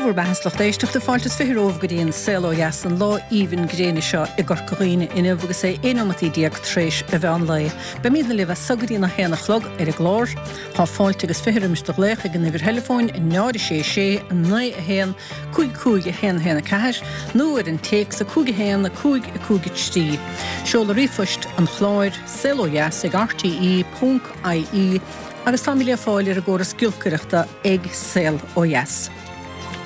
bhur mbeatha 's lucht éisteachta, fáilte is 20 romhaibh go dtí an Saol Ó Dheas, an lá aoibhinn gréine seo i gCorca Dhuibhne inniu agus é 11 neomat tar éis an mheán lae. Beimidne libh as so go dtí an 1 a chlog ar an gclár. Tá fáilte agus 20 roimis do ghlaoch ag an uimhir theileafóin 0 6 6 9 1 5 5 1 1 4 nó ar an téacs 5 1 5 5 3. Seoladh ríomhphoist an chláir, saolodheas ag rte.ie. Agus táimid le fáil ar an gcóras giolcaireachta ag Saol Ó Dheas.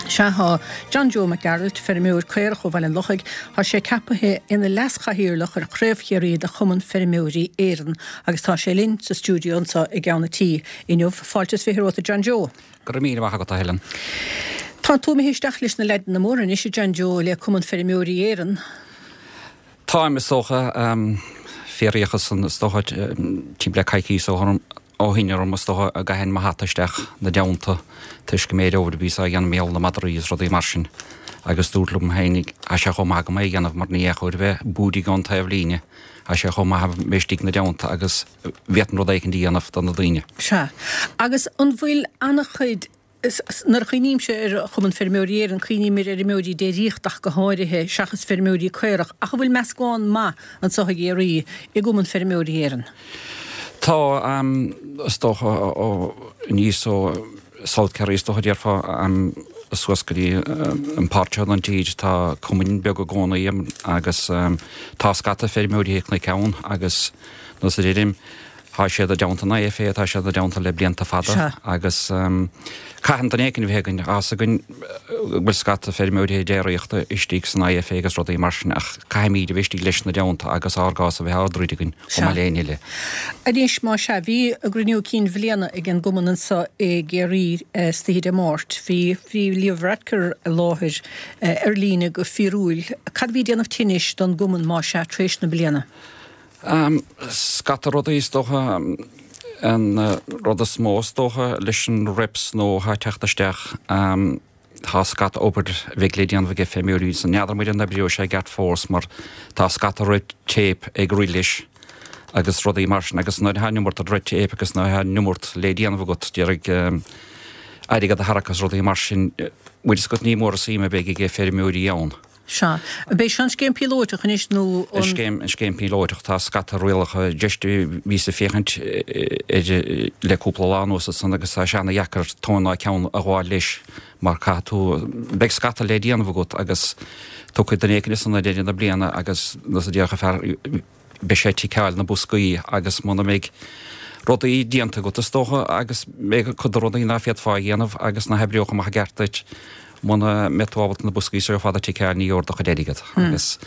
Sea, tá John Joe Mac Gearailt, feirmeoir caorach ó Bhaile an Lochaigh, tá sé ceapaithe ina leas-chathaoirleach ar Chraobh Chiarraí de Chumann Feirmeoirí Éireann agus tá sé linn sa stiúideo anseo i gceann an tí inniu. Fáilte is 20 romhat a John Joe. Go raibh míle maith agat, a Helen. Tá tú imithe isteach leis na leaideanna móra anois, a John Joe, le Cumann Feirmeoirí Éireann. Táim, is dócha. Fiafraíodh ansan, is dócha, timpeall le coicíos ó shin orm, is dócha, an gcaithfinn mo hata isteach 'na dteannta toisc an méid obair a bhíos á dhéanamh mar gheall ar na madraí is rudaí mar sin agus dúrt liom féinig, tá sé chomh maith agam é a dhéanamh mar ní chóir a bheith búidigh ón taobh líne, tá sé chomh maith a bheith istigh 'na dteannta agus bhféadfainn rud éicint a dhéanamh do na daoine. Sea. Agus an bhfuil an-chuid Nuair a chuimhnímse ar Chumann Feirmeoirí Éireann, cuimhním ar fheirmeoirí déiríochta ach go háirithe, seachas feirmeoirí caorach. Ach an bhfuil meascán maith anseo i gCiarraí i gCumann Feirmeoirí Éireann? Tá, is dócha, ó aníos ó South Kerry, is dócha, déarfá, suas go dtí an páirt seo den tír, tá cumainn beaga i gcónaí agus tá scata feirmeoirí cnoic ann agus, nós a deirim, Tá siad i dteannta an IFA, tá siad i dteannta le blianta fada agus caitheann duine éicint a bheith againn, tá fhios againn go bhfuil scata feirmeoirí déiríochta istigh san IFA agus rudaí mar sin ach caithfimíd a bheith istigh leis na dteannta agus ár gcás a bheith á dtroid againn chomh maith le éinne eile. Anois, más ea, bhí a gcruinniú cinn bhliana ag an gcumann anseo i gCiarraí istoíche Dé Máirt. Bhí, bhí Leo Varadkar i láthair ar líne go fíorúil. Cad a bhí ag déanamh tinnis don gcumann, más ea, tar éis na bliana? Scata rudaí is dócha. An rud is mó is dócha leis an REPS nua atá ag teacht isteach, tá scata obair a bheidh le déanamh aige feirmeoirí. N'fheadar muid an oibreoidh sé i gceart fós mar tá scata red tape ag rith leis agus rudaí mar sin agus nuair atá an iomarca red tape agus nuair atá an iomarca le déanamh agat d'iarraidh airgead a tharrac agus rudaí mar sin, bhfuil fhios agat ní mór an suim a bheidh aige feirmeoirí ann. Sea. Ab é seo an scéim píolóideach anois nó an. An scéim, an scéim píolóideach. Tá scata rialacha just bhíos ag féachaint air le cúpla lá anuas ansan agus tá sé ana-dheacair tóin ná ceann a ghabháil leis mar caithfidh tú, beidh scata le déanamh agat agus tiocfaidh duine éicint ansan ag deireadh na bliana agus nós a déarfadh fear, beidh sé ag ticeáil na boscaí agus muna mbeidh rudaí déanta agat is dócha agus beidh cuid de rudaí ná féadfá a dhéanamh agus ná hoibreodh amach i gceart duit muna mbeidh tú ábalta na boscaí seo ar fad a ticeáil ní gheobhair do chuid airgead agus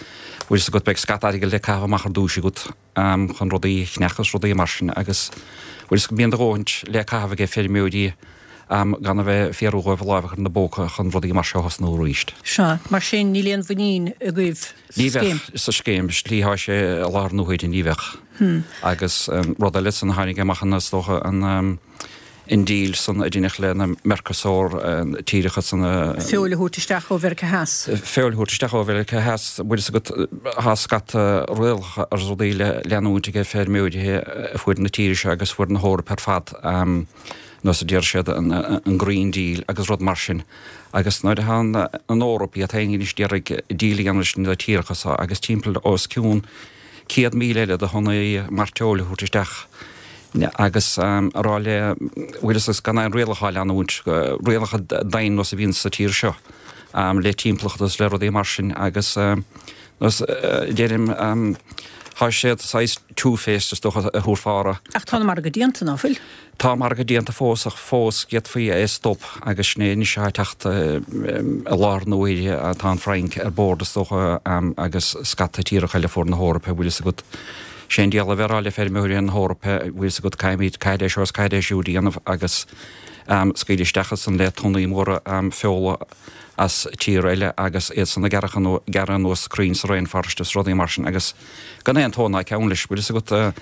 bhfuil fhios agat beidh scata airgid le caitheamh amach ar dtúis agat chun rudaí a cheannach agus rudaí mar sin agus bhfuil fhios agat bíonn do dhóthaint le caitheamh aige feirmeoirí gan a bheith ag fiafraí dhóibh a láimh a chur ina bpóca chun rudaí mar seo a thosnú arís. Sea, mar sin níl aon mhuinín agaibh sa Ní bheadh sa scéim, slí atá sé i láthair na huaire, ní bheadh. Agus rud eile san a tháinig amach an, is dócha, an an deal san a deineadh le na Mercosur tíreacha san a. Feoil a thabhairt isteach ó Mheiriceá Theas. Feoil a thabhairt isteach ó Mheiriceá Theas, bhfuil fhios agat, tá scata rialacha agus rudaí le leanúint aige feirmeoirí a fuair na tíre seo agus fuair na hEorpa ar fad. nós a deir siad, an Green Deal agus rud mar sin. Agus nuair atá an Eoraip iad féin anois d'iarraidh deal a dhéanamh leis na tíreacha seo agus timpeall os cionn 100,000 eile de thonnaí mairteoil a thabhairt isteach agus a rá le bhfuil fhios agat gan aon rialacha á leanúint, rialacha dain nós a bhíonn sa tír seo le timpeallacht agus le rudaí mar sin agus nós deirim tá siad saghas two-faced is dócha a thabharfá orthu. Ach tá an margadh déanta, ná fuil? Tá margadh déanta fós ach fós d'fhéadfaí é a stop agus sin é anois atá ag teacht i láthair na huaire. Tá an Fhrainc ar bord is dócha agus scata tíreacha eile fuair na hEorpa, bhfuil fhios agat. Sé an diabhal a bheith ag rá le feirmeoirí na hEorpa, bhfuil fhios agat, caithfimid, caithfidh é seo is caithfidh é siúd a dhéanamh agus scaoileadh isteach ansan le tonnaí móra feola as tír eile agus iad san ag gearradh anuas crainn sa rainforest is rudaí mar sin agus gan aon tóin ná ceann leis, bhfuil fhios agat.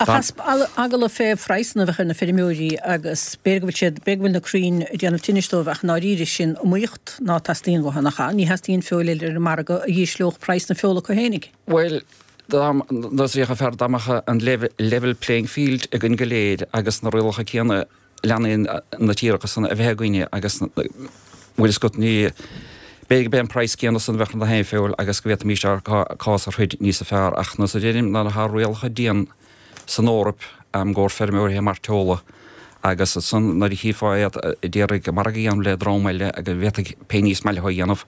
Ach as eagla fé phraghsanna a bheith ar na feirmeoirí agus b'fhéidir go bhfuil siad, b'fhéidir go bhfuil na crainn ag déanamh tinnis dóibh ach i ndáiríre sin iomaíocht ná teastaíonn uathu, nach ea? Ní theastaíonn feoil eile ar an margadh a dh'ísleodh praghas na feola acu fhéinig. Bhuel, dá mbeadh fear, dá mbeadh an level playing field againn go léir agus na rialacha céanna leanann na tíreacha san a bheith againne agus. Bhfuil fhios agat, ní, b'fhéidir go b'é an praghas céanna san a bheadh ar na haon feoil agus go bhféadfaimis ár cás a throid níosa fearr ach nós a deirim ná tá rialacha dian san Eoraip i gcomhair feirmeoirithe mairteola agus ansan nuair a chífeá iad a d'iarraidh margadh a dhéanamh le dream eile go bhféadfaidh pé ní is maith leo a dhéanamh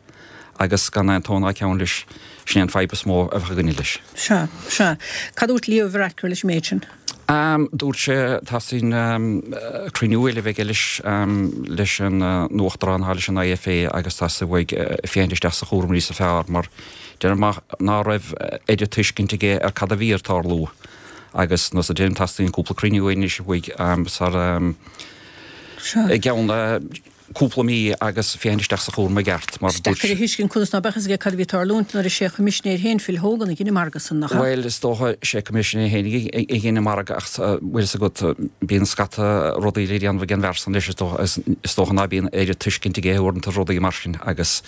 agus gan aon tó ná ceann leis, sin é an fadhb is mó a bheadh againne leis. Sea, sea. Cad a dúirt Leo Varadkar leis an méid sin? Dúirt sé, teastaíonn cruinniú eile a bheith aige leis, leis an Uachtarán atá leis an IFA agus teastaíonn uaidh féachaint isteach sa chúram níosa fearr mar deirim ná raibh oiread tuiscint aige ar cad a bhí ar tarlú agus nós a deirim teastaíonn cúpla cruinniú anois uaidh sar i gceann cúpla mí agus féachaint isteach sa chúram i gceart mar Is deacair a thuiscint conas ná beadh fhios aige cad a bhí ag tarlúint nuair is é a choimisinéir féin Phil Hogan a dhein an margadh san, nach ea? Bhuel, is dócha, sé coimisinéir féin a dhein an margadh ach bhfuil fhios agat, bíonn scata rudaí le déanamh ag an bhfear san leis is dócha, is dócha ná bíonn oiread tuiscint aige uaireanta ar rudaí mar sin agus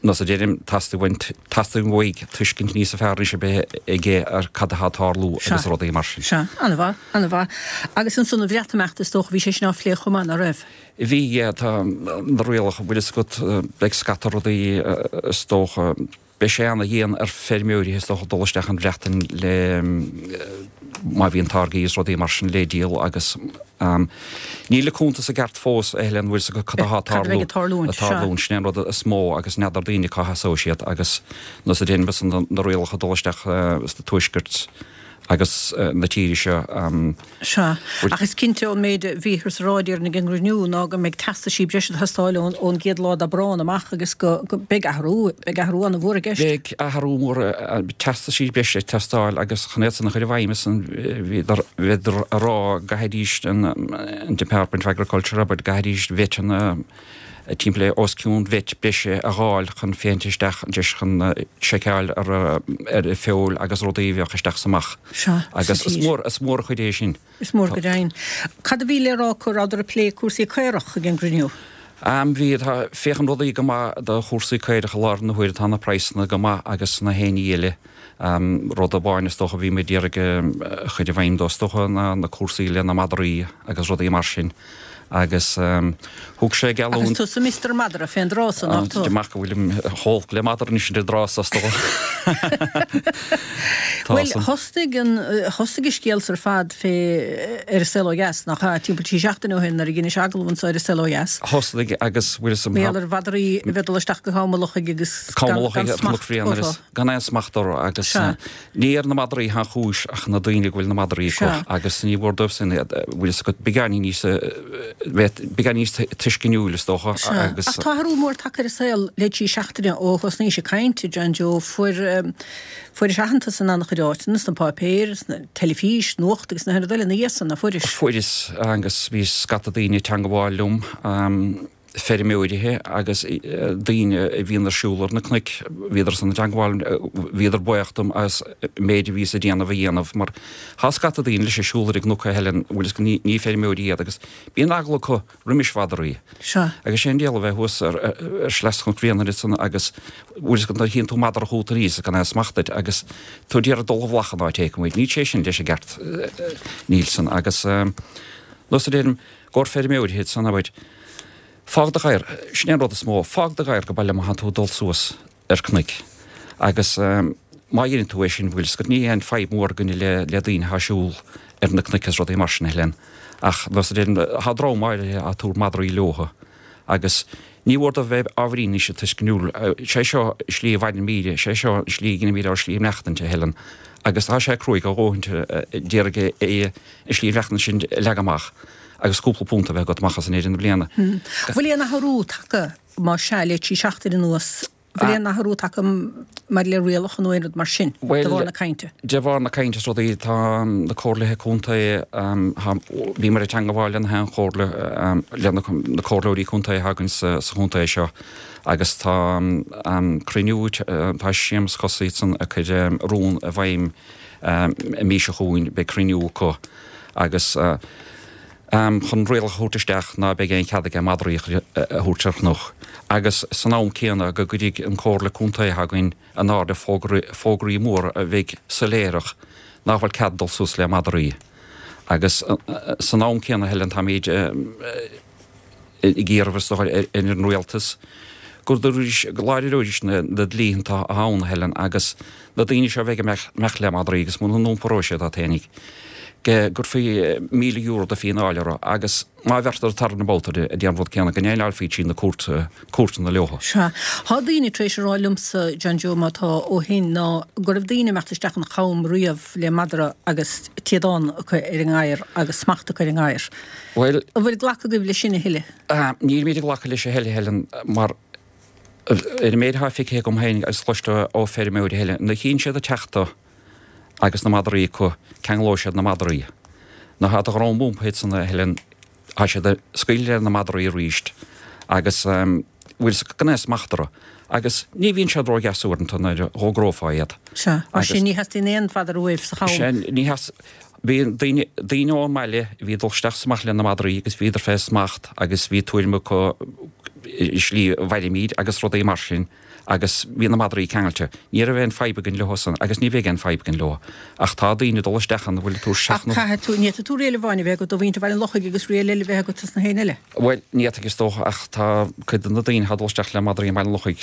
nós a deirim, teastaíonn uaidh tuiscint níosa fearr anois a bheith aige ar cad atá ag tarlú agus rudaí mar sin. Sea, an-mhaith. An-mhaith. Agus ansan an Bhreatimeacht, is dócha, bhí sé sin á phlé chomh maith, ná raibh? Bhí, yeah, tá na rialacha, bhfuil fhios agat, beidh scata rudaí, is dócha, beidh sé ana-dhian ar feirmeoirí, is dócha, dul isteach an Bhreatain le, má bhíonn táirgí is rudaí mar sin le díol agus níl an cuntas i gceart fós, a Helen, bhfuil fhios agat cad atá ag tarlú, ag tarlúint, tarlúint, sin é an rud is mó agus n'fheadar daoine cá sheasóidh siad agus nós a deirim, na rialacha dul isteach sa tuaisceart, agus na tíre seo. Sea. Ach is cinnte ón méid a bhíothas a rá déarfainn ag an gcruinniú ná go mbeidh teastaisí breise ag teastáil ón gcéad lá d'Aibreán amach agus go beidh athrú, beidh athrú an-mhór i gceist. Beidh athrú mór, teastaisí breise ag teastáil agus chun iad san a chur i bhfeidhm ansan bhíodar, bhíodar a rá go gcaithfidís an Department of Agriculture abair, go gcaithfidís veteanna, timpeall le os cionn vet breise a dh'fháil chun féachaint isteach deis chun seiceáil ar ar feoil agus rudaí a bheadh isteach 's amach. Sea, Agus is mór is mór an chuid é sin. Is mór go deimhin. Cad a bhí le rá acu, rabhadar ag plé cúrsaí caorach ag an gcruinniú? Bhí, tá, féachann rudaí go maith do chúrsaí caorach i láthair na huaire, tá na praghsanna go maith agus na haon ní eile. Rud amháin is dócha a bhí muid d'iarraidh a chur i bhfeidhm dó is dócha ná na cúrsaí le na madraí agus rudaí mar sin agus thug sé geallúint. Agus tusa Mister Madra fén dtráth so, nach tú? Amach go bhfuilim chomh holc le madra anois an tráth so is dócha. Bhuel, thosaigh an, thosaigh an scéal so ar fad fé ar An Saol Ó Dheas, nach ea, timpeall trí seachtaine ó shin nuair a dheinis agallamh anso ar An Saol Ó Dheas. Thosaigh agus bhfuil fhios Mar gheall ar mhadraí a bheith ag dul isteach go Cam an Lochaigh agus gan smacht orthu. gan aon smacht orthu agus ní ar na madraí atá an chúis ach na daoine go bhfuil na madraí acu agus ní mhór dóibh sin iad, bhfuil fhios agat, beagáinín níos, bheith beagáinín níos tuisceanúil is dócha agus. Ach tá athrú mór tagtha ar an saol le trí seachtaine ó thosnaís ag caint, a John Joe. Fuair, fuairis aitheantas in an-chuid áiteanna, sna páipéir, sna teilifís, nuacht agus na haon rud eile ina dhiaidh san, ná fuairis? Fuaireas agus bhí scata daoine ag teangabháil liom. feirmeoirithe agus daoine a bhíonn ar siúl ar na cnoic, bhíodar san i dteangmháil, bhíodar buíoch dom as an méid a bhíos ag déanamh a dhéanamh mar tá scata daoine leis ag siúl ar an gcnoc a Helen, bhfuil fhios agat, ní feirmeoirí iad agus bíonn eagla acu roimis mhadraí. Sea. Agus sé an diabhal a bheith thuas ar shleas Chnoc Bhréanainn ansan agus bhfuil fhios agat nuair a chíonn tú madra chugat aníos gan aon smacht air agus tú ag iarraidh dul a bhflach an áit éicint, níl sé sin leis an gceart, níl san agus nós a deirim, Gcomhair feirmeoirithe san abair, fág do ghadhar, sin é an rud is mó, fág do ghadhar go baile má thánn tú ag dul suas ar cnoic. Agus má dheineann tú é sin, bhfuil fhios agat, ní aon fadhb mhór againne le le daoine athá ag siúl ar na cnoic is rudaí mar sin, a Helen. Ach nós a deirim, thá dream áirithe athá ag tabhairt madraí leotha agus ní mhór dóibh bheith ábhairín níos tuisceanúil. Sé seo slí a bhaineann míre, sé seo an slí a dheinimíd ár slí maireachtaint, a Helen. Agus tá sé cruaidh a dhóthaint d'iarraidh é an slí mhaireachtaint sin a leagadh amach agus cúpla punt a bheith agat amach as in deireadh na bliana. Bhfuil aon athrú tagtha, más ea, le trí seachtaine anuas, bhfuil aon athrú tagtha maidir le rialacha nó aon rud mar sin, de bharr na cainte? De bharr na cainte is rudaí, tá na comhairlithe contae, bhíomar ag teangabháil le na haon chomhairle, le na comhairleoirí contae atá againn sa chontae seo agus tá cruinniú, tá Séamus Cosaí ansan ag cur rún i bhfeidhm An mhí seo chugainn beidh cruinniú acu agus chun rialacha a thabhairt isteach ná beidh aon chead aige madraí a thabhairt ar chnoc agus san am céanna go gcuirfidh an Comhairle Contae atá againn in airde fógraí móra a bheidh soiléireach nach bhfuil cead dul suas le madraí agus san am céanna Helen táimid. Ag iarraidh is dócha ar an rialtas go láidreoidís na dlíthe atá ann, a Helen, agus na daoine seo a bheidh ag imeacht le madraí agus muna n-iompróidh siad iad fhéinig, go gcuirfí €1,000 de phíonáil orthu agus má bheirtear turnabout orthu a déanamh an rud céanna, go ndéileálfaí trí na cúirteanna leo. Sea. Tá daoine tar éis a rá liomsa, John Joe, má tá ó shin, ná go raibh daoine ag imeacht isteach an Cham riamh le madra agus téadán acu ar an ngadhar agus smacht acu ar an ngadhar. Bhuel. An bhfuil glacadh agaibh leis sin a thuilleadh? Nílimid ag glacadh leis a thuilleadh, a Helen, mar ar an méid atá feicthe agam féin agus cloiste ó feirmeoirí, a Helen, nuair a chíonn siad ag teacht tú agus na madraí acu, ceanglóidh siad na madraí. Nuair atá do dhroim iompaithe iad san, a Helen, tá siad ag scaoileadh le na madraí arís agus bhfuil a fhios acu gan aon smacht orthu. Agus ní bhíonn siad ródheas uaireanta nuair a dh'fhógrófá iad. Sea, mar sin ní theastaíonn aon mhadra uaibh sa cham. Sea, ní theastaíonn. Bhí daoine, daoine ón mbaile a bhí ag dul isteach is amach le na madraí agus bhíodar fé smacht agus bhí tuairim acu i slí a bhfaighimid agus rudaí mar sin agus bhí na madraí ceangailte. Ní raibh aon fadhb againn leo san agus ní bheidh aon fadhb againn leo. Ach tá daoine ag dul isteach ann a bhfuil ag tabhairt isteach na. Ach caithfidh tú, ní fhéadfaidh tú riail amháin a bheith agat do mhuintir Bhaile an Lochaigh agus riail eile a bheith agat dos na héinne eile. Bhuel, ní fhéadfaidh is dócha, ach tá cuid de na daoine atá ag dul isteach le madraí i mBaile an Lochaigh,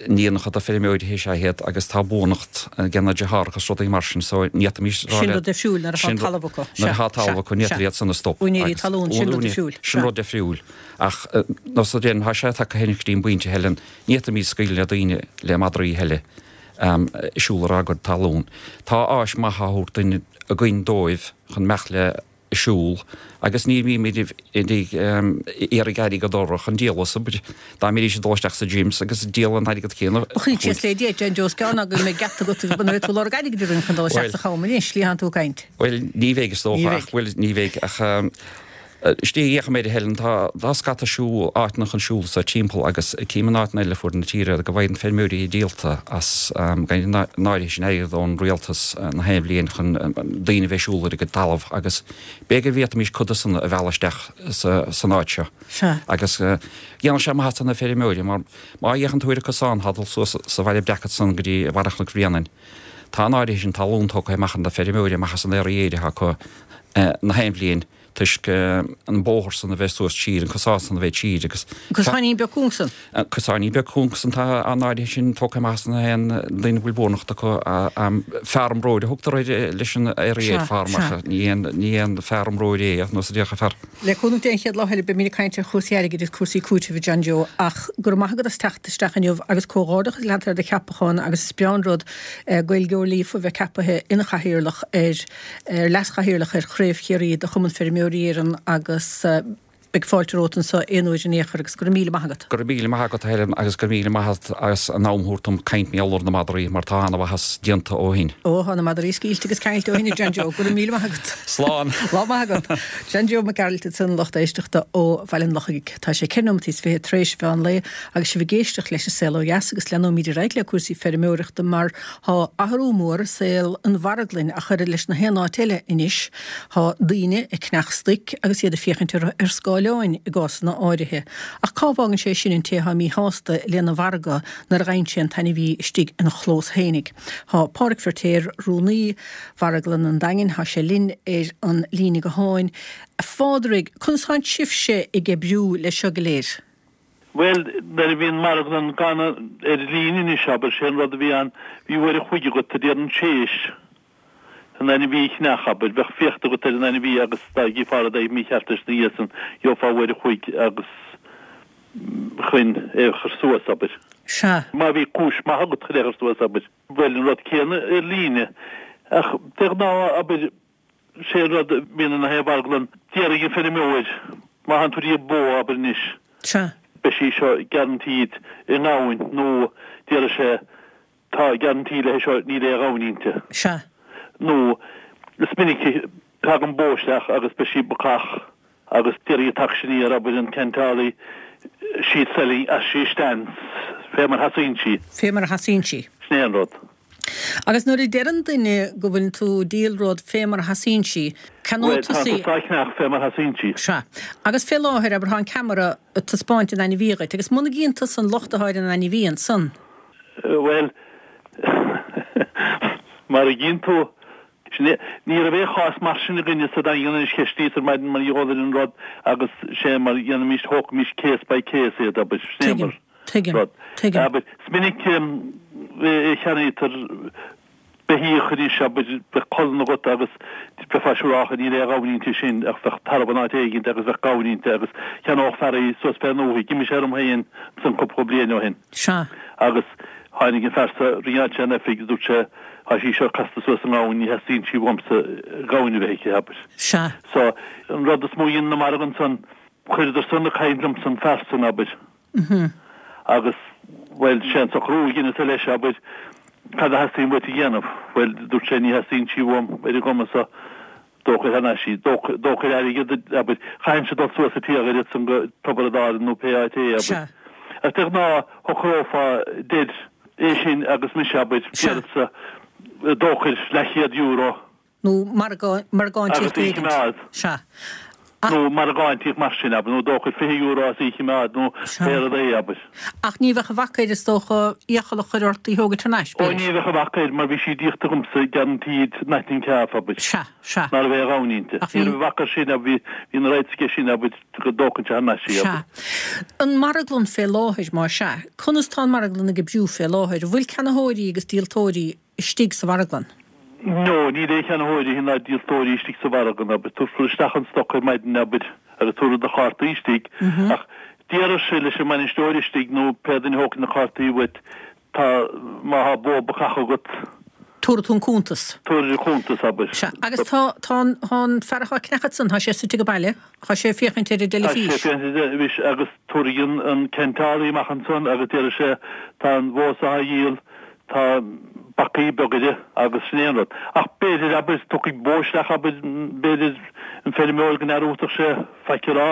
iníonacha do feirmeoirí is ea iad agus tá buannacht ag na deartháireacha agus rudaí mar sin so ní fhéadfaimis rá Sin rud difriúil nuair atá talamh acu. Nuair atá talamh acu, ní fhéadfar iad san a stop. Úinéirí talún, sin rud difriúil. Sin rud difriúil. Ach nós a déanann, tá sé tagtha féin go dtí an bpointe, Helen, ní fhéadfaimis scaoileadh le daoine le madraí a thuilleadh ag siúl ar ár gcuid talún. Tá áis maith á thabhairt duinn againn dóibh chun imeacht le ag siúl agus ní bhímid ag iarraidh airgead orthu chun díol as obair. Dá mbeidís ag dul isteach sa gyms agus ag díol an airgead céanna. Ba chuid síos le Dia, John Joe, is gearr ná go mbeidh geata agat agus mbeidh tú ag lorg airgid orainn chun dul isteach sa cham anois, slí thánn tú ag caint. Bhuel, ní bheidh is dócha ach, bhuel, ní bheidh ach Istigh a fhéachaim air a Helen, tá tá scata siúl, áiteanna chun siúl sa timpeall agus cím in áiteanna eile ar fuaid na tíre go bhfaigheann feirmeoirí díolta as gan an áirithe sin airgead ón rialtas na haon bhliain chun daoine a bheith ag siúl ar a gcuid talamh agus b'fhéidir go bhféadfaimis cuid de san a mhealladh isteach san áit seo. Agus dhéanfadh sé maitheas do na feirmeoirí mar má fhéachann tú ar an cosán atá ag dul suas sa Bhaile Breac ansan go dtí Barra Chnoc Bhréanainn, tá an áirithe sin talún tógtha amach ag na feirmeoirí amach as an fhéar aeir atá acu na haon bhliain. toisc an bóthar san a bheith suas siar, an cosán san a bheith siar agus. An cosáinín beag cúng san. An cosáinín beag cúng san tá an áirithe sin tógtha amach as na haon duine a bhfuil buannacht acu. Farm road a thugtar air leis an area farm ach ní haon ní haon farm road é ach nós a déarfadh fear. Le cúnamh Dé an chéad lá eile beimid ag caint ar chúrsaí airgid agus cúrsaí cúitimh a John Joe ach go raibh maith agat as teacht isteach inniu agus comhghairdeachas leat ar do cheapachán agus is breá an rud Gaeilgeoir líofa a bheith ceapaithe ina chathaoirleach ar ar leaschathaoirleach ar Chraobh Chiarraí de Chumann Feirmeoirí Éireann agus beidh fáilte romhat anseo aon uair in aon chor agus go raibh míle maith agat. Go raibh míle maith agat a Helen agus go raibh míle maith agat as an am a thabhairt dom caint mar gheall ar na madraí mar tá ana-mhaitheas déanta ó shin. Ó, tá na madraí scaoilte agus ceangailte ó shin a John Joe. Go raibh míle maith agat. Slán. Lá maith agat. John Joe Mac Gearailt ansan lucht éisteachta ó Bhaile an Lochaigh. Tá sé 14 nóimeataí tar éis mheán lae agus sibh ag éisteacht leis an Saol Ó Dheas agus leanóimid ar aghaidh le cúrsaí feirmeoireachta mar Thá athrú mór i saol an mharglainn ach oiread leis na haon áit eile anois. Thá daoine ag ceannach stoic agus iad ag féachaint orthu ar scáileáin i gcásanna áirithe. Ach cá bhfágann sé sin an té thá míshásta lena mhargadh nuair a gheibheann sé an t-ainmhí istigh ina chlós fhéinig? Thá Pádhraic Feirtéar, rúnaí Mharglann an Daingin, thá sé linn ar an líne gutháin. A Phádraig, conas thánn sibhse ag oibriú leis seo go léir? Bhuel, nuair a bhí an marglann gan ar líne anois, abair, sé an rud a bhí ann, bhí uair a chloig agat, a déarfainn, théis an ainmhí a cheannach, abair, bheadh féachta agat ar an ainmhí agus dá gcífeá rud éigin mícheart leis ina dhiaidh san, gheofá uair a chloig agus chun é a chur suas, abair. Sea. Má bhí cúis maith agat chun é a chur suas, abair. Bhuel, an rud céanna ar líne. Ach de ghnáth, abair, Sé an rud a bhíonn ina thaobh mharglann, déarfaidh an feirmeoir, má thánn tú ag díol bó, abair anois, Sea. beidh sí seo guaranteed i ngamhain nó déarfaidh sé tá guarantee léi seo níl aon ghamhain inti. Sea. Nó is minic a thagann bó isteach agus beidh sí bacach agus déarfaidh an t-auctioneer, abair, an ceantálaí, she's selling as she stands, fé mar a sheasaíonn sí. Fé mar a sheasaíonn sí. Sin é an rud. Agus nuair a deireann duine go bhfuileann tú ag díol rud fé mar a sheasaíonn sí, ceannóidh tusa í. Bhuel, tá tusa á cheannach fé mar a sheasaíonn sí. Sea. Agus fé láthair, abair, tá an ceamara ag taispeáint an ainmhí dhuit, agus muna gcíonn tusa an locht atá ar an ainmhí ansan. Bhuel, mar a gcíonn tú. Sin é, ní raibh aon chás mar sin againne sa Daingean anois cheistíos ar maidin mar gheall ar an rud agus sé mar dhéanaimis, thógaimis case by case iad, abair, sin é Tuigim, mar tuigim, rud. tuigim. Abair, is minic a cheannaítear beithíoch anois, abair, bheadh colann agat agus bheifeá siúrálta níl aon ghamhain inti sin ach bheadh tarbh in áit éigint agus bheadh gamhain inti agus cheannódh fear í suas fén ndúthaigh. D'imigh sé orm féin ansan cúpla bliain ó shin. Sea. Agus tháinig an fear so, ringeáil sé an oifig agus dúirt sé, tá sí seo casta suas i ngamhain, ní theastaíonn sí uaimsa gamhain a bheith aici, abair. Sea. So, an rud is mó a dhein na margadh ansan, chuireadar san ag caint liomsa an fear san, abair. Agus, bhuel, sé an socrú a dheineas-sa leis, abair, cad a theastaíonn uait a dhéanamh? Bhuel, dúirt sé, ní theastaíonn sí uaim ar an gcuma so, dóchair thar n-ais í, dóchair airgead, abair, chaithfinnse dul suas an t-iarthar ansan go Tiobraid Árann nó pé áit é, abair. Ach de ghnáth, shocrófá, deir, é sin agus mise, abair, déarfadsa, dóchair leathchéad euro. Nó margáintíocht Agus í a choimeád. Sea. Nó margáintíocht mar sin, abair, nó dóchair €20 as í a choimeád, nó pé rud é, abair. Ach ní bheadh a bhac air, is dócha, iachall a chur ort í thógaint thar n-ais, Ó, ní bheadh a bhac air, mar bhí sí díolta agamsa, guaranteed, nothing calf, abair. Sea, sea. Ná raibh aon ghamhain inti. Ach bhí. Ní raibh a bhac air sin, abair, bhí, bhí na rights aige sin, abair, go dtógfainnse thar n-ais í, abair. Sea. An marglann fé láthair, má sea, conas tá an marglann ag oibriú fé láthair? An bhfuil ceannaitheoirí agus díoltóirí istigh sa mharglann? No, níl aon cheannaitheoirí ná díoltóirí istigh sa mharglann, abair. Tabharfar isteach an stoc ar maidin, abair, agus tabharfar do chártaí istigh. Ach déarfadh sé leis an mbainisteoir istigh nó pé duine a thógfaidh na cártaí uait, tá, má thá bó bacach agat. Tabharfaidh tú an cuntas. Tabharfaidh an cuntas, abair. Sea. Agus tá, tá an, tá an fear atá ag ceannach ansan, tá sé suite age baile, tá sé ag féachaint ar an Tá sé dteilifís. ag féachaint ar an dteilifís agus tabharfaidh an, an ceantálaí amach ansan agus déarfaidh sé, tá an bhó so á dhíol, Tá bacaí beag uirthi agus sin é an rud. Ach b'fhéidir, abair, tiocfaidh bó isteach, abair, b'fhéidir an feirmeoir go n-aireofadh sé faic a rá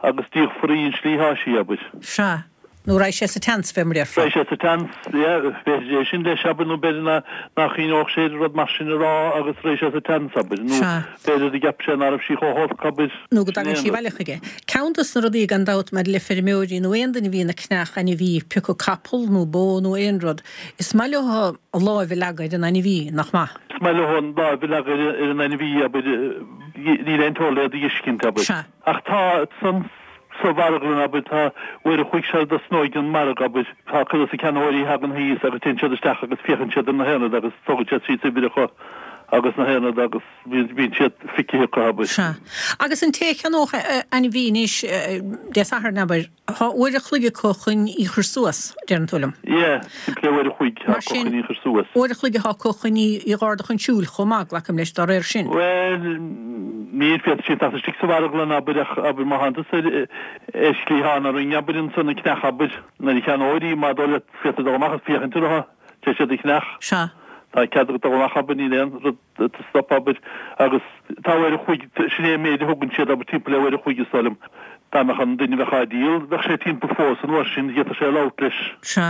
agus díolfar í an slí atá sí, abair. Sea. Nó raghaidh sé sa tseans, fé mar déarfá. Raghaidh sé sa tseans, yeah, b'fhéidir é sin leis, abair, nó b'fhéidir ná, nach gcuimhneodh sé ar rud mar sin a rá agus raghaidh sé sa tseans, abair, nó Sea. b'fhéidir go gceap sé ná raibh sí chomh holc, abair, Nó go sin é dtagann an sí rud. abhaile chuige. Ceann dos na rudaí, gan dabht, maidir le feirmeoirí nó aon duine a bhíonn ag ceannach ainmhí, pé acu capall nó bó nó aon rud, is maith leo a láimh a leagadh ar an ainmhí, nach maith? Is maith leo an láimh a leagadh ar an ainmhí, abair, níl aon teora le iad a dh'fheiscint, abair. Sea. Ach tá san sa mharglann, abair, tá uair a chloig sara dtosnóidh an margadh, abair, tá cuid dos na ceannaitheoirí a thagann thíos agus téann siad isteach agus féachann siad ar na haon rud agus tógann siad síos uimhreacha agus na haon rud agus. Bíonn siad feicthe acu, abair. Sea. Agus an té a cheannódh ainmhí anois, Dé Sathairn, abair, tá uair a chloig acu chun í chur suas, deireann tú liom. Yeah, timpeall le uair a chloig atá Mar acu sin, chun í chur suas. uair a chloig atá acu chun í a dh'ardú chun siúil chomh maith, glacaim leis, dá réir sin. Bhuel, níl, féadfaidh siad teacht istigh sa mharglann, abair, ach, abair, má thánn tusa ar ar chliathán an ringe, abair, ansan ag ceannach, abair, nuair a cheannóir í, má dóigh leat, féadfaidh dul amach agus féachaint uirthi, tá siad ag ceannach. Sea. Tá cead agat dul amach, abair, níl aon rud. do stop, abair, agus tá uair a chloig, sin é an méid a thugann siad, abair, timpeall le uair a chloig is dóigh liom. Dá mbeadh an duine a bheadh á díol, bheadh sé timpeall fós an uair sin, d'fhéadfadh sé labhairt leis. Sea.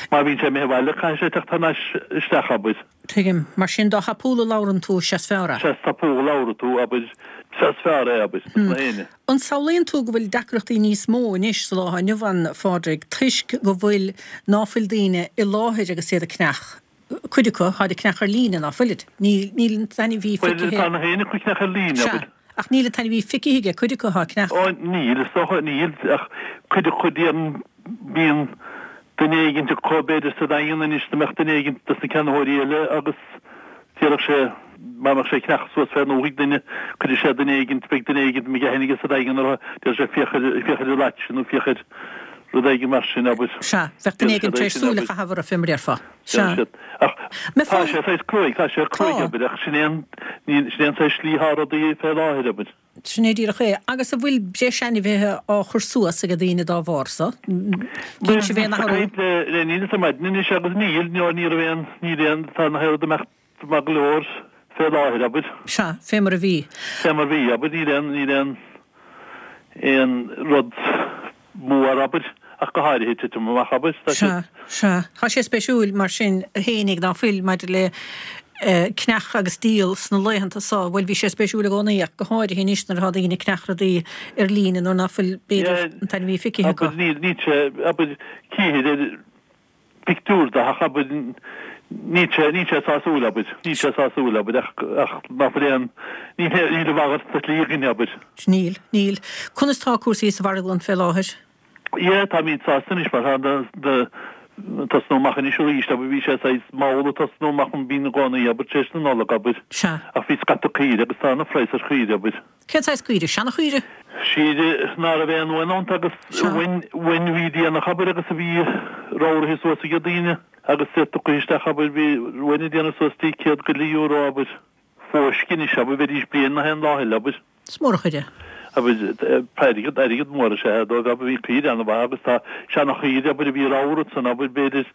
Má bhíonn sé imithe abhaile, caithfidh sé teacht thar n-ais isteach, abair. Tuigim. Mar sin, dá thapúla a labhrann tú, is ea is fearr é. Sea, is tapúla a labhrann tú, abair, is ea is fearr é, abair, dos na héinne. An samhlaíonn tú go bhfuil deacrachtaí níos mó anois sa lá atá inniu ann, a Phádraig, toisc go bhfuil, ná fuil daoine i láthair agus iad ag ceannach? Cuid acu, táid ag ceannach ar líne, ná fuilid? Níl, níl an t-ainmhí Bhuel, feicthe. tá na héinne acu ag ceannach ar líne, Sea, abair. ach níl an t-ainmhí feicthe aige cuid acu atá ag ceannach. Ó, níl, is dócha, níl, ach cuid acu déarfainn, bíonn duine éigint acu, b'fhéidir sa Daingean anois, dá mbeadh duine éigint dos na ceannaitheoirí eile agus déarfadh sé, má bheadh sé ag ceannach suas fén ndúthaigh duine, cuirfidh sé duine éigint, beidh duine éigint a mbeidh aithne aige sa Daingean orthu, déarfaidh sé féach ar, féach ar an lait sin nó féach ar rud éigin mar sin, abair. Sea, bheadh duine Déarfaidh éigin siad tar é éis sin, súil a abair. chaitheamh orthu, fé mar a déarfá. Sea. Siad. Ach Me tá fáth. sé saghas cruaidh, tá sé cruaidh, Tá. abair, ach sin é an, ní, sin é an saghas slí atá rudaí fé láthair, abair. Sin é díreach é. Agus an bhfuil breis ainmhithe á chur suas ag daoine dá bharr so? Bhuel, Cíonn sibh aon bhíos ag athrú? caint le, le Niall ar maidin anois agus níl, no, ní raibh aon, níl aon, tá na haon rud imeacht maith go leor fé láthair, abair. Sea, fé mar a bhí. Fé mar a bhí, abair, níl aon, níl aon, aon rud mór, abair, ach go háirithe titim amach, abair, tá Sea, siad. sea. Tá sé spéisiúil mar sin fhéinig ná fuil maidir le ceannach agus díol sna laethanta so. Bhuel, bhí sé spéisiúil i gcónaí ach go háirithe anois nuair atá daoine ag ceannach rudaí ar líne nuair ná fuil, b'fhéidir, an t-ainmhí feicthe acu. Abair, níl, níl sé, abair, cíthir ar pictiúr de ach abair. Níl sé, níl sé sásúil, abair. Níl sé sásúil, abair, ach, ach ná fuil aon, níl, níl a mhalairt de shlí againn, abair. Níl, níl. Conas tá cúrsaí sa mharglann fé láthair? Yeah, táimid sásta anois mar tá na, na, tosnú amach anois arís, abair, bhí sé saghas mall ag tosnú amach mar bíonn i gcónaí, abair, tar éis na Nollag, abair. Sea. Ach bhí scata caoire agus tá ana phraghas ar chaoire, abair. Cén saghas caoire? Seana-chaoire? Caoire ná raibh aon uain iontu agus uain, uain a bhí déanach, abair, agus a bhí ramhraithe suas ag daoine agus iad tugtha isteach, abair, bhí uain ag déanamh suas dtí 100 go leith euro, abair. Fóisc anois, abair, bheidís bliain na haon lá eile, abair. Is mór an chuid é. Abair, airgead, airgead mór is ea é dóibh, abair, bhí caoire an-mhaith agus tá seana-chaoire, abair, a bhí ramhar ansan, abair, b'fhéidir,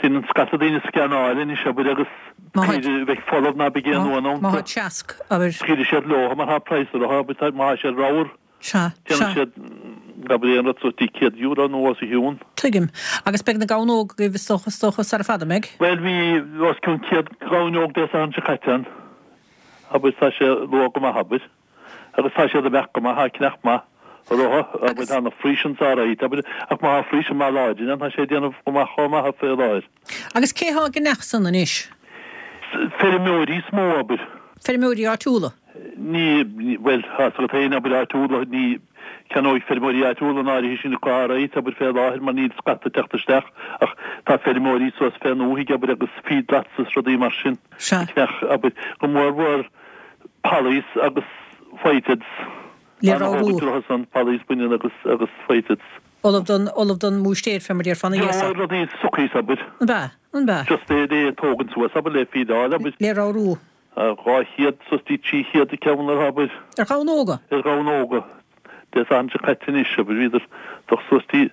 déanann scata daoine scannáil anois, abair, agus. Caoire a bheidh folamh ná beidh aon uan iontu. Má tá seasc, abair. Scaoilfidh siad leo mar tá praghas orthu, abair, má tá siad ramhar. Sea, sea. Déanfaidh siad, abair, aon rud suas dtí €100 nó os a chionn. Tuigim. Agus beidh na gamhain óga agaibh, is dócha, is dócha, sara fada, an mbeidh? Bhuel, bhí os cionn 100 gamhain óg Dé Sathairn seo caite ann. Abair, tá sé luath go maith, abair. Agus tá siad ag imeacht go maith, tá cneach maith orthu, abair, tá na Friesians alright, abair, ach má tá Friesian maith láidir ann, tá sé ag déanamh go maith chomh maith fé láthair. Agus cé thá ag gceannach san anois? Feirmeoirí is mó, abair. Feirmeoirí áitiúla? Ní, bhuel, tá 's agat féin, abair, áitiúla, ní ceannóidh feirmeoirí áitiúla an áirithe sin acu alright, abair, fé láthair mar níl scata ag teacht isteach ach tá feirmeoirí suas fén ndúthaigh, abair, agus feedlots is rudaí mar sin. Sea. Ag ceannach, abair, go mór mhór Pollies agus Whiteheads. Le ramhrú. An-thógaint orthu san, Pollies baineann agus, agus Whiteheads. Ullamh don, ullamh don mbúistéir fé mar déarfá ina dhiaidh so. Rudaí suckies, abair. An b'ea? An b'ea? Just le, le tógaint suas, abair, le feedáil, abair. Le ramhrú. 200 suas dtí 300 an ceann orthu, abair. Ar ghamhain óga? Ar ghamhain óga. Dé Sathairn seo caite anois, abair, bhíodar dul suas dtí,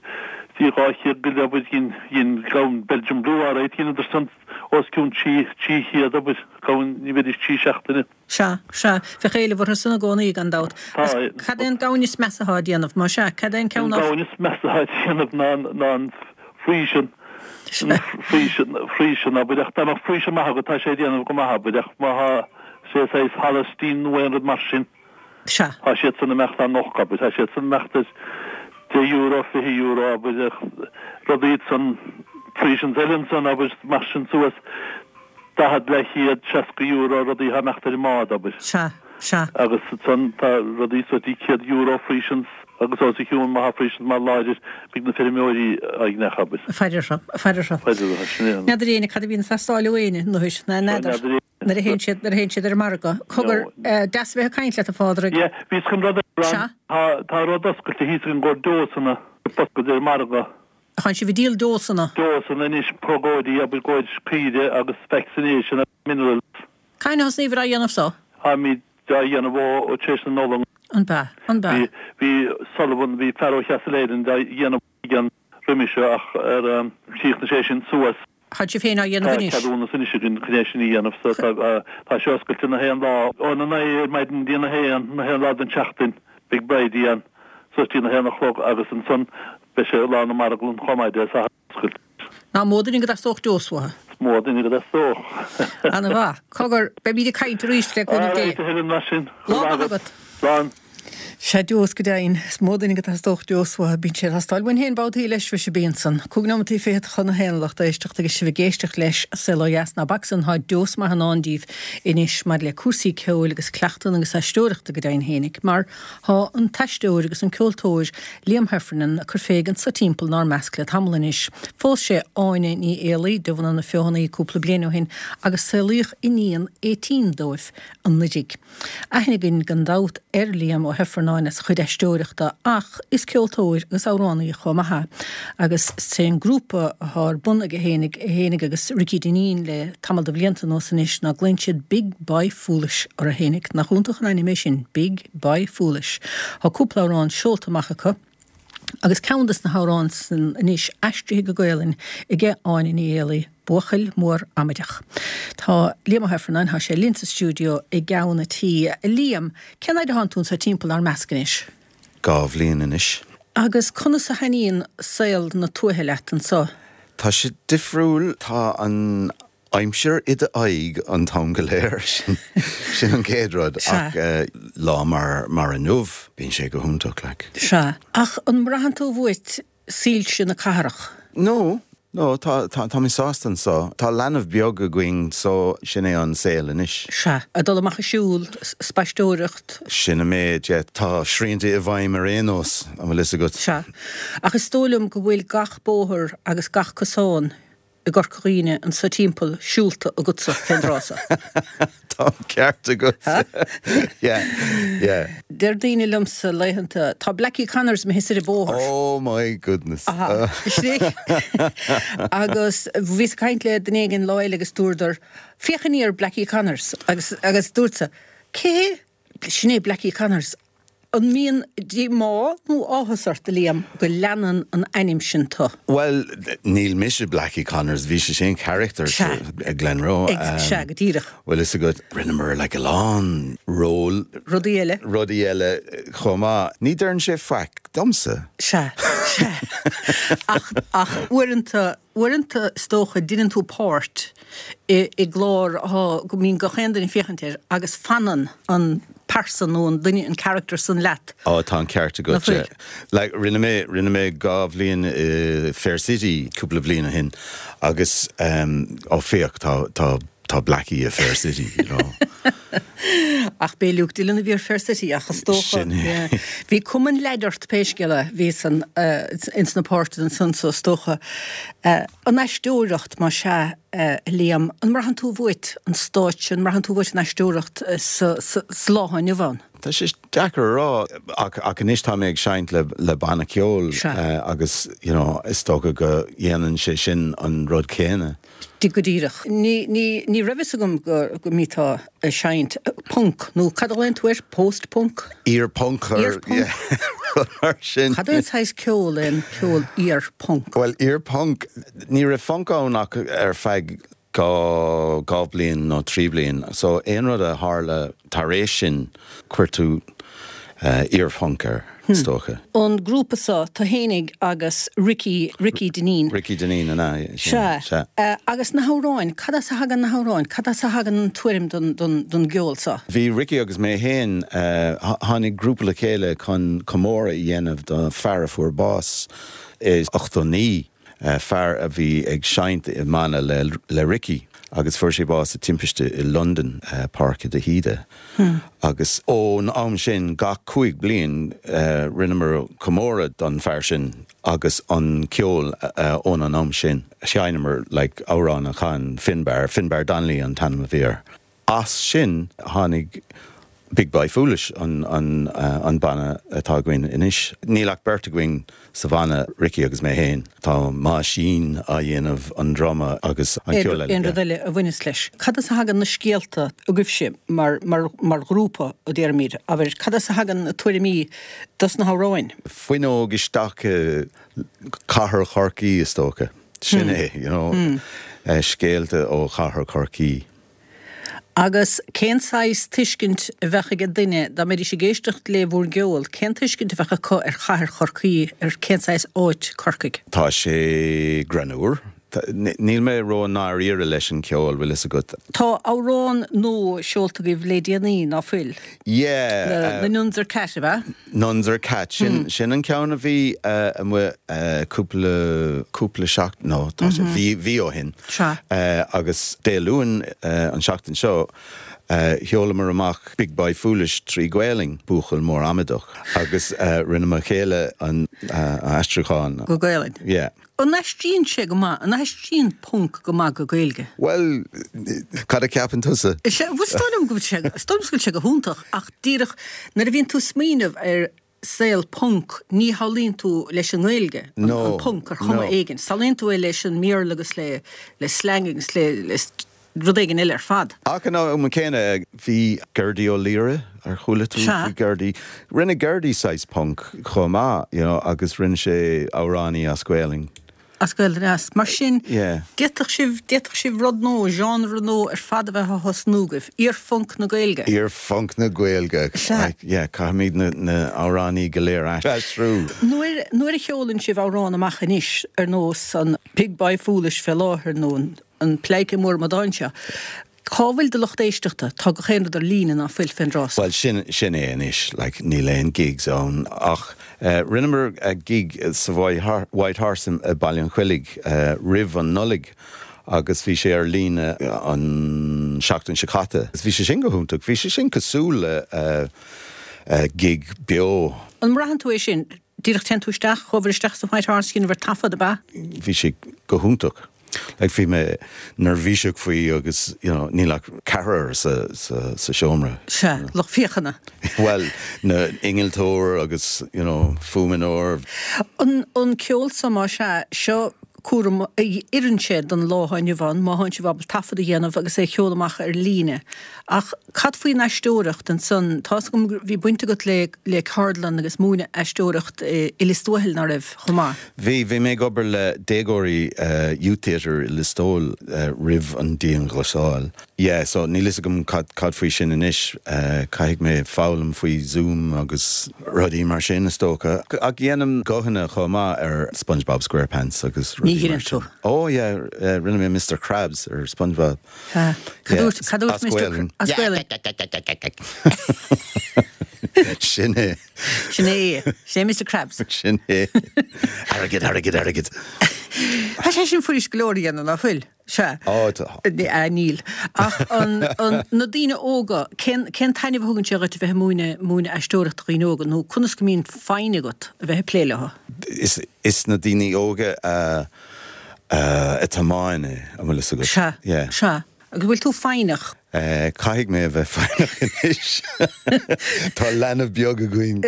dtí 200 go leith, abair, dhein, dhein gamhain Belgian Blue alright, dheineadar san os cionn 300, abair, gamhain, ní bheidís trí seachtaine. Sea, sea. Bheadh éileamh orthu san i gcónaí, gan dabht. Tá. Agus cad é an gamhain is measa atá ag déanamh? Más ea, cad é an ceann An gamhain is measa atá ag déanamh ná, ná an Friesian, an Friesian, Friesian, abair, ach dá mbeadh Friesian maith agat, tá sé ag déanamh go maith, abair, ach má tá sé saghas Holstein nó aon rud mar sin, Sea. tá siad san ag imeacht an-olc, abair, tá siad san ag imeacht ar €10, €20, abair, ach rudaí iad san, Friesians eile ansan, abair, mar sin suas. 40, leathchéad, €60, rudaí atá ag imeacht ar an mbád, abair. Sea, sea. Agus ansan tá rudaí suas dtí €100 Friesians agus os a chionn má tá Friesians maith láidir, beidh na feirmeoirí á gceannach, abair. Faire orthu, faire orthu. Faire orthu, sin é an. N'fheadar éinne cad a bhíonn ag teastáil ó éinne, anois, ná n'fheadar. N'fheadar éinne. Nuair a théann siad, nuair a théann siad ar an margadh. Cogar, deas a bheith ag caint leat, a Phádraig. Yeah, bhíos chun rud a rá. Sea. Tá, tá rud oscailte thíos againn i gcomhair deosanna, oscailte ar an margadh. Tánn sibh ag díol deosanna. Deosanna anois, progóidí, abair, i gcomhair caoire agus vaccination agus minerals. Cathain a thosnaíobhair á dhéanamh so? Táimid á dhéanamh ó tar éis na Nollag. An b'ea? An b'ea? Bhí, bhí Sullivan, bhí fear ó Chastle Island á dhéanamh againn roimhe seo ach ar chríochnaigh sé sin suas. Tánn sibh féin á dhéanamh Tá anois? ceadúnas anois againn chun é sin a dhéanamh so tá, tá sé oscailte na haon lá, óna naoi ar maidin dtí na haon, na haon lá den tseachtain beidh Bridie ann suas dtí na haon a chlog agus ansan beidh sé lá na marglann chomh maith Dé Sathairn oscailte. Ná mó duine go dteastódh deos uathu. Is mó duine go dteastódh. Ana mhaith. Cogar, beimíd ag caint arís le cúnamh Dé. Alright a Helen, mar sin. Lá maith agat. Slán. Sea, deos go deimhin. Is mó duine go dteastódh deos uathu. Bíonn sé ag teastáil uainn féin babhtaí leis, mhuise bíonn san. Cúig nóimeataí fichead chun a haon a lucht éisteachta agus sibh ag éisteacht leis Saol Ó Dheas. Ná bac san, tá deos maith i ndán díbh anois maidir le cúrsaí ceoil agus cleachtanna agus aisteoireachta go deimhin fhéinig, mar tá an t-aisteoir agus an ceoltóir Liam Heffernan ag cur fé anso timpeall 'nár measc le tamall anois. Phós sé Áine Ní Éalaí de bhunadh na Feothanaí cúpla bliain ó shin agus saolaíodh iníon Étaín dóibh anuiridh. Aithne againn gan dabht ar Liam Ó hIfearnáin as a chuid aisteoireachta ach is ceoltóir agus amhránaí chomh maith é agus is é an grúpa atá ar bun aige fhéinig, é fhéinig agus Ricky Dineen le tamall de bhlianta anuas anois ná glaonn siad Big Boy Foolish orthu fhéinig. Nach iontach an ainm é sin, Big Boy Foolish. Tá cúpla amhrán seolta amach acu. Agus ceann des na hamhráin san anois aistrithe go Gaelainn aige Áine Ní Éalaí, Buachaill Mór Amaideach. Tá Liam Ó hIfearnáin, tá sé linn sa stiúideo i gceann a' tí. A Liam, cén fhaid atánn tú anso timpeall 'nár measc anois? Dhá bhliain anois. Agus conas a thaitníonn saol na tuaithe leat anso? Tá sé difriúil. Tá an aimsir i d'aghaidh an t-am go léir, sin an chéad rud, ach lá mar mar inniu, bíonn sé go hiontach, like. Sea. Ach an mbraitheann tú uait soilse na cathrach? No. No, tá, tá, tá mé sásta anseo. Tá leanbh beag againn so sin é an saol anois. Sea, ag dul amach ag siúl, spaisteoireacht. Sin an méid, yeah. Tá srianta i bhfeidhm ar aon nós, an bhfuil fhios agat. Sea. Ach is dóigh liom go bhfuil gach bóthar agus gach cosán i gCorca Dhuibhne anso timpeall siúlta agatsa fén dtráth so. Tá an ceart agat. Yeah, yeah. Deir daoine liomsa laethanta, tá Blackie Connors imithe soir an bóthar. Oh my goodness. Aha. Sin é. Agus bhíos ag caint le duine éigin lá eile agus dúradar, féach aniar Blackie Connors agus agus dúrtsa, cé hé? Sin é Blackie Connors. An mbíonn díomá nó áthas ort, a Liam, go leanann an ainm sin tu? Bhuel, níl mise Blackie Connors, bhí sé sin character Sea. ag Glenroe. Sea, go díreach. Bhfuil fhios agat, rinneamar like a lán ról. Rudaí eile. Rudaí eile chomh maith. Ní deireann sé faic domsa. Sea, sea. Ach, ach uaireanta, Uaireanta, is dócha, deineann tú páirt i i gclár atá, go mbíonn gach aon duine ag féachaint air agus fanann an pearsa nó an duine, an character san leat. Á, tá an ceart Nach agat, bhfuil? yeah. Like, rinne mé, rinne mé dha bhliain i Fair City cúpla bhliain ó shin agus, em, ó féach, tá, tá, tá Blackie i Fair City, you know. Ach b'é Luke Dillon a bhí ar Fair City ach is dócha, Sin é. yeah. Bhí cuma an leaid ort pé scéal é, bhí san, ins na páirteanna ansan so is dócha. An aisteoireacht, más ea, a Liam, an mbraitheann tú uait an stáitse, an mbraitheann tú uait an aisteoireacht sa, sa, sa lá atá inniu ann? Tá sé deacair a rá ach, ach anois tá mé ag seinnt le, le banna ceoil Sea. agus, you know, is dócha go dhéanann sé sin an rud céanna. Go díreach. Ní, ní, ní raibh fhios agam go, go mbíteá ag seinnt punc, nó cad a ghlaonn tú air? Post-punk? Iar-phunc or, Iar-phunc? yeah, rud mar sin. Cad é an saghas ceol é an ceol iar-phunc? Bhuel, iar-phunc, ní raibh func ann ach ar feadh dha, dha bhliain nó tri bliain, so aon rud a tharla tar éis sin, chuir tú iar-phunc air, is dócha. An grúpa seo, tú fhéinig agus Ricky, Ricky Dineen. Ricky Dineen, an ea? Sea. Sea. Agus na hamhráin, cad as a thagann na hamhráin? Cad as a thagann an tuairim don, don, don gceol seo? Bhí Ricky agus mé féin, tháinig grúpa le chéile chun comóradh a dhéanamh do fear a fuair bás i 89. fear a bhí ag seinnt i mbanna le Ricky agus fuair sé bás i timpiste i Londain, Páirce de hÍde. Agus ón am sin, gach 5 bliain, rinneamar comóradh don fear sin agus an ceol ón an am sin. Sheinneamar like amhrán a chan Finbar, Finbar Donnelly an t-ainm a bhí air. As sin tháinig Big Boy Foolish, an banna atá againn anois. Níl ach beirt againn sa bhanna, Ricky agus mé féin. Tá Máisín á dhéanamh an druma agus an ceol eile. Aon rud eile a bhaineas leis. Cad as a thagann na scéalta agaibhse mar mar ghrúpa, a déarfaimid, abair, cad as a thagann na tuairimí dos na hamhráin? Fuinneog isteach i gcathair Chorcaí, is dócha. Sin é, you know, scéalta ó chathair Chorcaí. Agus cén saghas tuiscint a bheadh ag duine, dá mbeidís ag éisteacht le bhur gceol, cén tuiscint a bheadh acu ar chathair Chorcaí, ar cén saghas áit Corcaigh? Tá sé greannmhar. Níl mé ró-ndáiríre leis an ceol, bhfuil fhios agat. Tá amhrán nua seolta agaibh le déanaí, ná fuil? Yeah. Na Nuns Are Cat, ab ea? Nuns Are Cat, sin sin an ceann a bhí amuigh cúpla, cúpla seachtain, no, tá sé, mhí, mhí ó shin. Sea. Agus Dé Luain an seachtain seo, sheolamar amach Big Boy Foolish tri Gaelainn, Buachaill Mór Amaideach, agus rinne mo chéile an aistriúchán. Go Gaelainn. Yeah. An aistríonn sé go maith, an aistríonn punc go maith go Gaeilge? Bhuel, cad a cheapann tusa? Sea, bhuel, is dóigh liom go bhfuil sé, is dóigh liom go bhfuil sé go hiontach, ach díreach nuair a bhíonn tú ag smaoineamh ar saol punc, ní shamhlaíonn tú leis an nGaeilge an No, punc ar chuma no. éigin. Samhlaíonn tú é leis an mBéarla agus le, le slang agus le, le rud éigin eile ar fad. Ach an am céanna, bhí Gerdy Ó Laoghaire, ar chuala tú Sea. faoi Gerdy? Rinne Gerdy saghas punc chomh maith, you know, agus rinne sé amhránaí as Gaelainn. As Gaelainn, as. Mar sin, Yeah. d'fhéadfadh sibh, d'fhéadfadh sibh rud nua, genre nua ar fad a bheith á thosnú agaibh, iar-phunc na Gaeilge. Iar-phunc na Gaeilge. Sea. Yeah, caithfimid na, na amhránaí go léir a aistriú. Nuair, nuair a sheolann sibh amhrán amach anois, ar nós an Big Boy Foolish fé láthair nó an, An Pleidhce Mór Amadán seo. Cá bhfuil do lucht éisteachta? Tá gach aon rud ar líne, ná fuil, fén dtráth so? Bhuel, sin, sin é anois, like, níl aon gigs ann ach eh, rinneamar gig sa White Horse i Baile an Choilligh eh, roimh an Nollaig agus bhí sé ar líne an seachtain seo caite. Bhí sé sin go hiontach, bhí sé sin cosúil le eh, gig beo. An mbraitheann tú é sin? Díreach téann tú isteach, chuabhair isteach sa White Horse, dheineabhair taifead, ab ea? Bhí sé go hiontach. Like bhí mé neirbhíseach faoi agus you know níl ach ceathrar sa sa sa seomra. Sea, lucht féachana. Bhuel, na innealtóir agus you know fuaimneoir. An an ceol so más ea, seo cúram a oireann sé don lá atá inniu ann, má thánn sibh ábalta taifead a dhéanamh agus é a sheoladh amach ar líne. Ach cad faoin aisteoireacht ansan? Tá's agam go bhí baint agat le le ceardlann agus múineadh aisteoireacht i Lios Tuathail, ná raibh, chomh maith? Bhí, bhí mé ag obair le déagóirí Youth Theatre i Lios Póil roimh an dianghlasáil. Yeah, so níl fhios agam cad cad faoi sin anois. Caithfidh mé foghlaim faoi Zoom agus rudaí mar sin is dócha. Ach dhéanaim guthanna chomh maith ar SpongeBob SquarePants agus rudaí mar sin. Oh yeah, rinne mé Mister Krabs ar SpongeBob. Cad dúirt, cad dúirt Mister As Gaelainn. Sin é. Sin é. Sin é Mister Krabs. Sin é. Airgead, airgead, airgead. Tá sé sin fuirist go leor a dhéanamh, ná fuil? Sea. Á, tá. Níl. Ach an, an, na daoine óga, cén, cén taitneamh a thugann sé dhuit a bheith ag múineadh, múineadh aisteoireachta do dhaoine óga, nó conas go mbíonn foighne agat a bheith ag plé leo? Is, is na daoine óga a, a tiomáin é, an bhfuil fhios agat? Sea. Yeah. Sea. Agus bhfuil tú foighneach? Caithfidh mé a bheith foighneach anois. Tá leanbh beag againn.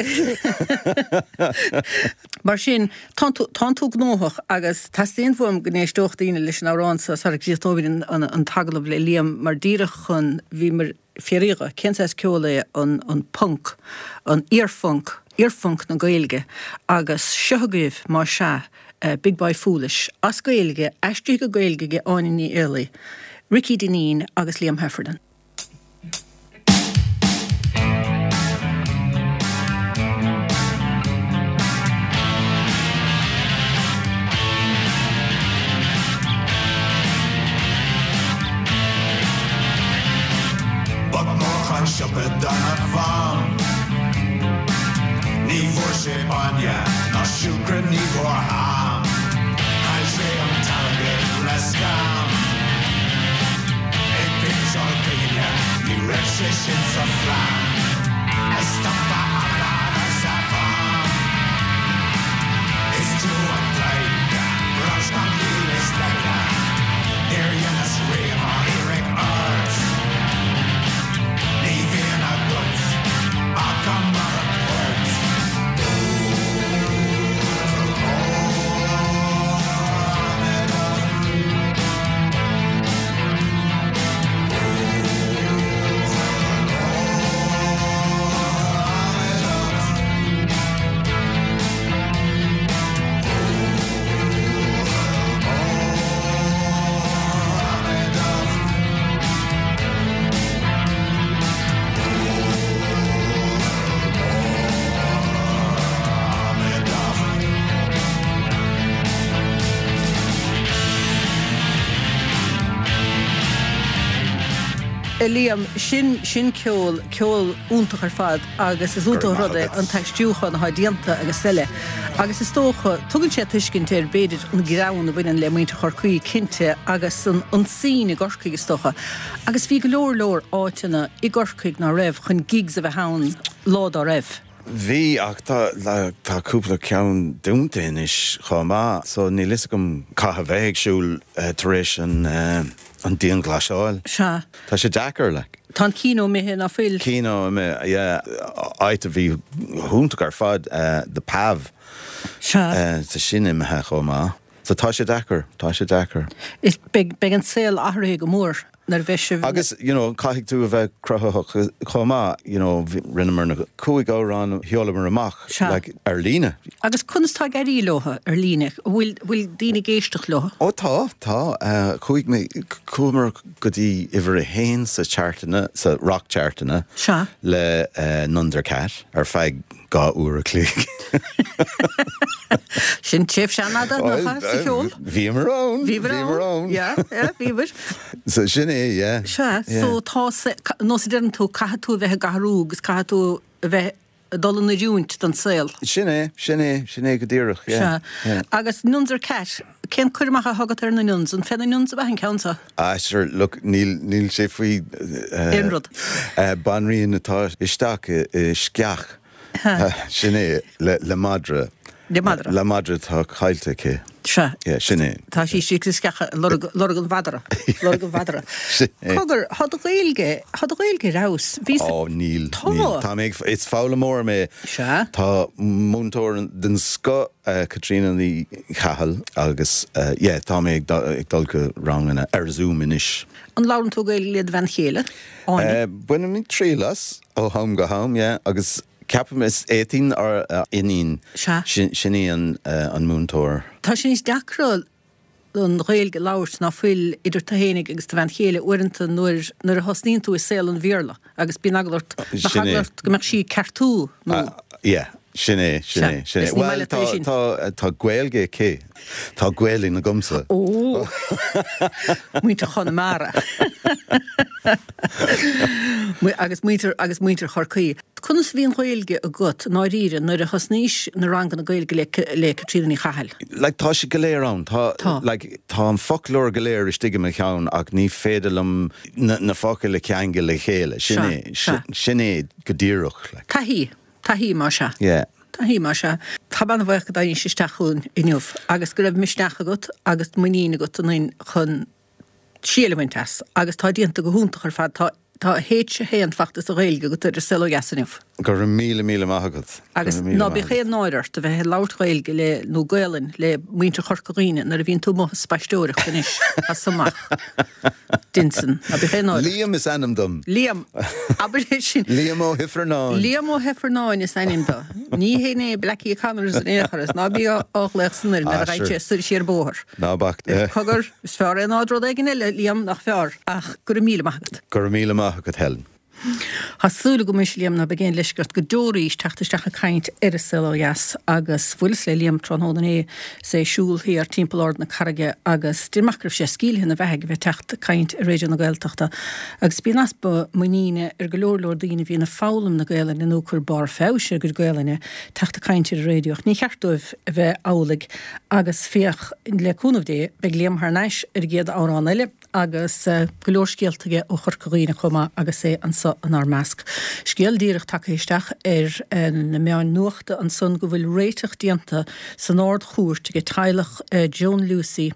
Mar sin, tánn tú, tánn tú gnóthach agus teastaíonn uaim go n-éisteodh daoine leis an amhrán seo sara gcríochnóimid an, an t-agallamh le Liam mar díreach chun, bhíomar ag fiafraí dhe, cén saghas ceol é an, an punc, an iar-phunc, iar-phunc na Gaeilge agus seo agaibh, más ea, Big Boy Foolish, as Gaeilge, aistrithe go Gaeilge ag Áine Ní Éalaí, Ricky Dineen agus Liam Heffernan. Boc mór chun siopa do mham. Ní bhfuair sé bainne ná siúcra ní bhfuair ham. Chaill sé an t-airgead le scam. Ag péinteáil pinginne ní raibh sé sin sa phlean. A stop a amadán arsa Mham. Is tú an dlaoi rubbish gan ciall is leisce. Níor dheineas riamh á iarraidh ort. Ní bhíonn agat ach an mara poirt. Buachaill mór amadán. Buachaill mór amadán. Buachaill mór amadán. A Liam, sin, sin ceol, ceol iontach ar fad agus is iontach an rud é an t-aistriúchán atá déanta agus eile. Agus is dócha, tugann sé tuiscint ar, b'fhéidir, an greann a bhaineann le muintir Chorcaí, cinnte, agus an, an scene i gCorcaigh, is dócha. Agus bhí go leor leor áiteanna i gCorcaigh ná raibh chun gigs a bheith ann lá dá raibh. Bhí, ach tá, tá cúpla ceann dúnta anois chomh maith, so níl fhios agam caithfidh a bheith ag siúl tar éis an, an dianghlasáil. Sea. Tá sé deacair, like. Tá an Kino imithe, ná fuil? Kino imithe, yeah. Áit a bhí hiontach ar fad, The Pav. Sea. Tá sin imithe chomh maith. So tá sé deacair, tá sé deacair. Is beidh, beidh an saol athraithe go mór nuair a bheidh sibh. Agus, you know, caithfidh tú a bheith cruthaitheach chomh maith, you know, rinneamar na cúig amhrán a sheolamar amach, Sea. like, ar líne. Agus. Conas tá ag éirí leo ar líne? An bhfuil, bhfuil daoine ag éisteacht leo? Ó tá, tá. Chuaigh mé, chuamar go dtí uimhir a haon sa chartanna, sa roc-chartanna Sea. le Nundercat ar feadh 2 uair a chloig. Sin tréimhse an-fhada, nach ea, sa cheol? Bhíomar ann! Bhíomar ann! Yeah, yeah, bhíomar. So sin é, yeah. Sea, so tá, nós a deireann tú, caithfidh tú a bheith ag athrú agus caithfidh tú a bheith ag dul in oiriúint don saol. Sin é, sin é, sin é go díreach, yeah. Sea. Agus Nuns or Cat, cén cur amach atá agat ar na Nuns? An fé na Nuns ab ea an ceann seo? Ah, sure, look, níl, níl sé faoi. Aon rud. Banríon atá isteach i sceach. Sin é, le madra. Le madra. Le madra atá caillte aici. Sea. Yeah, sin é. Tá sí istigh sa sceach ag lorg, lorg an mhadra. Lorg an mhadra. Sin é. Cogar, tá do Ghaeilge, tá do Ghaeilge ar fheabhas. Bhí sa. Ó, níl, Tá. níl. Tá mé ag, is foghlaimeoir mé. Sea. Tá múinteoir den scoth, Caitríona Ní Chathail, agus yeah, tá mé ag dul go ranganna ar Zoom anois. An labhrann tú Gaeilge le do bhean chéile, Áine? Bainimid triail as ó am go ham, yeah, agus ceapaim is Étaín ár iníon, Sea. sin í an múinteoir. Tá sé níos deacra an Ghaeilge a labhairt ná fuil idir tú fhéinig agus do bhean chéile uaireanta nuair nuair a thosnaíonn tú i saol an Bhéarla agus bíonn eagla ort, bheadh eagla ort go mbeadh sí ag ceartú nó. Yeah, sin é, sin é, sin é. Bhuel, tá, tá, tá Gaeilge aici. Tá Gaelainn agamsa. Ó! Muintir Chonamara. Agus muintir, agus muintir Chorcaí. Conas a bhí an Ghaeilge agat, i ndáiríre, nuair a thosnaís na ranganna Gaeilge le, le Caitríona Ní Chathail? Like, tá sé go léir ann. Tá, Tá. like, tá an foclóir go léir istigh i mo cheann ach ní féidir liom na, na focail a cheangal le chéile. Sin Sea, é, sea. sin é go díreach, like. Taithí. Taithí, más ea. Yeah. Taithí, más ea. Tá mé an-bhuíoch go dtáinís isteach chugainn inniu agus go raibh misneach agat agus muinín agat ionainn chun triail a bhaint as agus tá déanta go hiontach ar fad. Tá tá H1 fachta sa Ghaeilge agat ar an Saol Ó Dheas inniu. Go raibh míle míle maith agat. Agus ná bíodh aon náire ort a bheith ag labhairt Gaeilge le, nó Gaolainn le muintir Chorca Dhuibhne nuair a bhíonn tú amuigh ag spaisteoireacht anois as so amach. Dein sin. Ná bíodh aon náire ort. Liam is ainm dom. Liam. Abair é sin. Liam Ó hIfearnáin. Liam Ó hIfearnáin is ainm do. Ní hé é Blackie Connors in aon chor is ná bí á ghlaoch san ar nuair a ghaibh sé soir siar bóthar. Ná bac. Cogar, is fearr é ná rud éigin eile, Liam, nach fearr? Ach go raibh míle maith agat. Go raibh míle maith agat, Helen. Tá súil agam anois, Liam, ná beidh aon leisce ort go deo arís teacht isteach ag caint ar an Saol Ó Dheas agus bhuaileas le Liam tráthnóna inné is é ag siúl thiar timpeall Ard na Carraige agus déarfainn amach go raibh sé scaoilthe ina bheathaidh a bheith ag teacht ag caint ar Raidió na Gaeltachta agus bíonn easpa muiníne ar go leor leor daoine a bhíonn ag foghlaim na Gaelainne nó ag cur barr feabhais ar a gcuid Gaelainne teacht ag caint ar an raidió ach ní cheart dóibh a bheith amhlaidh agus féach, le cúnamh Dé, beidh Liam thar n-ais ar an gcéad amhrán eile. agus go leor scéalta aige ó Chorca Dhuibhne chomh maith agus é anso inár measc. Scéal díreach tagtha isteach ar na meáin nuachta ansan go bhfuil réiteach déanta san Ard-Chúirt ag teaghlach Joan Lucey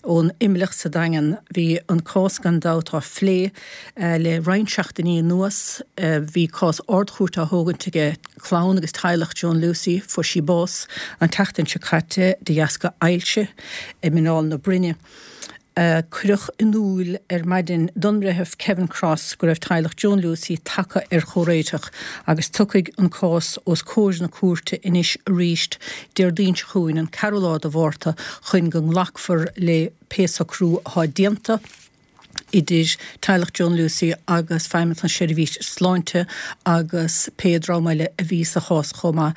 ón Imleach sa Daingean. Bhí an cás gan dabht á phlé le roinnt seachtainí anuas. Bhí cás Ard-Chúirte á thógaint ag clann agus teaghlach Joan Lucey. Fuair sí bás an tseachtain seo caite de dheasca ailse i muineál na broinne. Cuireadh in iúl ar maidin don mBreitheamh Kevin Cross go raibh teaghlach Joan Lucey tagtha ar chomhréiteach agus tiocfaidh an cás os comhair na cúirte anois arís Déardaoin seo chugainn, an ceathrú lá de Mhárta, chun go nglacfar le pé socrú atá déanta. idir teaghlach Joan Lucey agus Feidhmeannacht na Seirbhíse Sláinte agus pé dream eile a bhí sa chás chomh maith.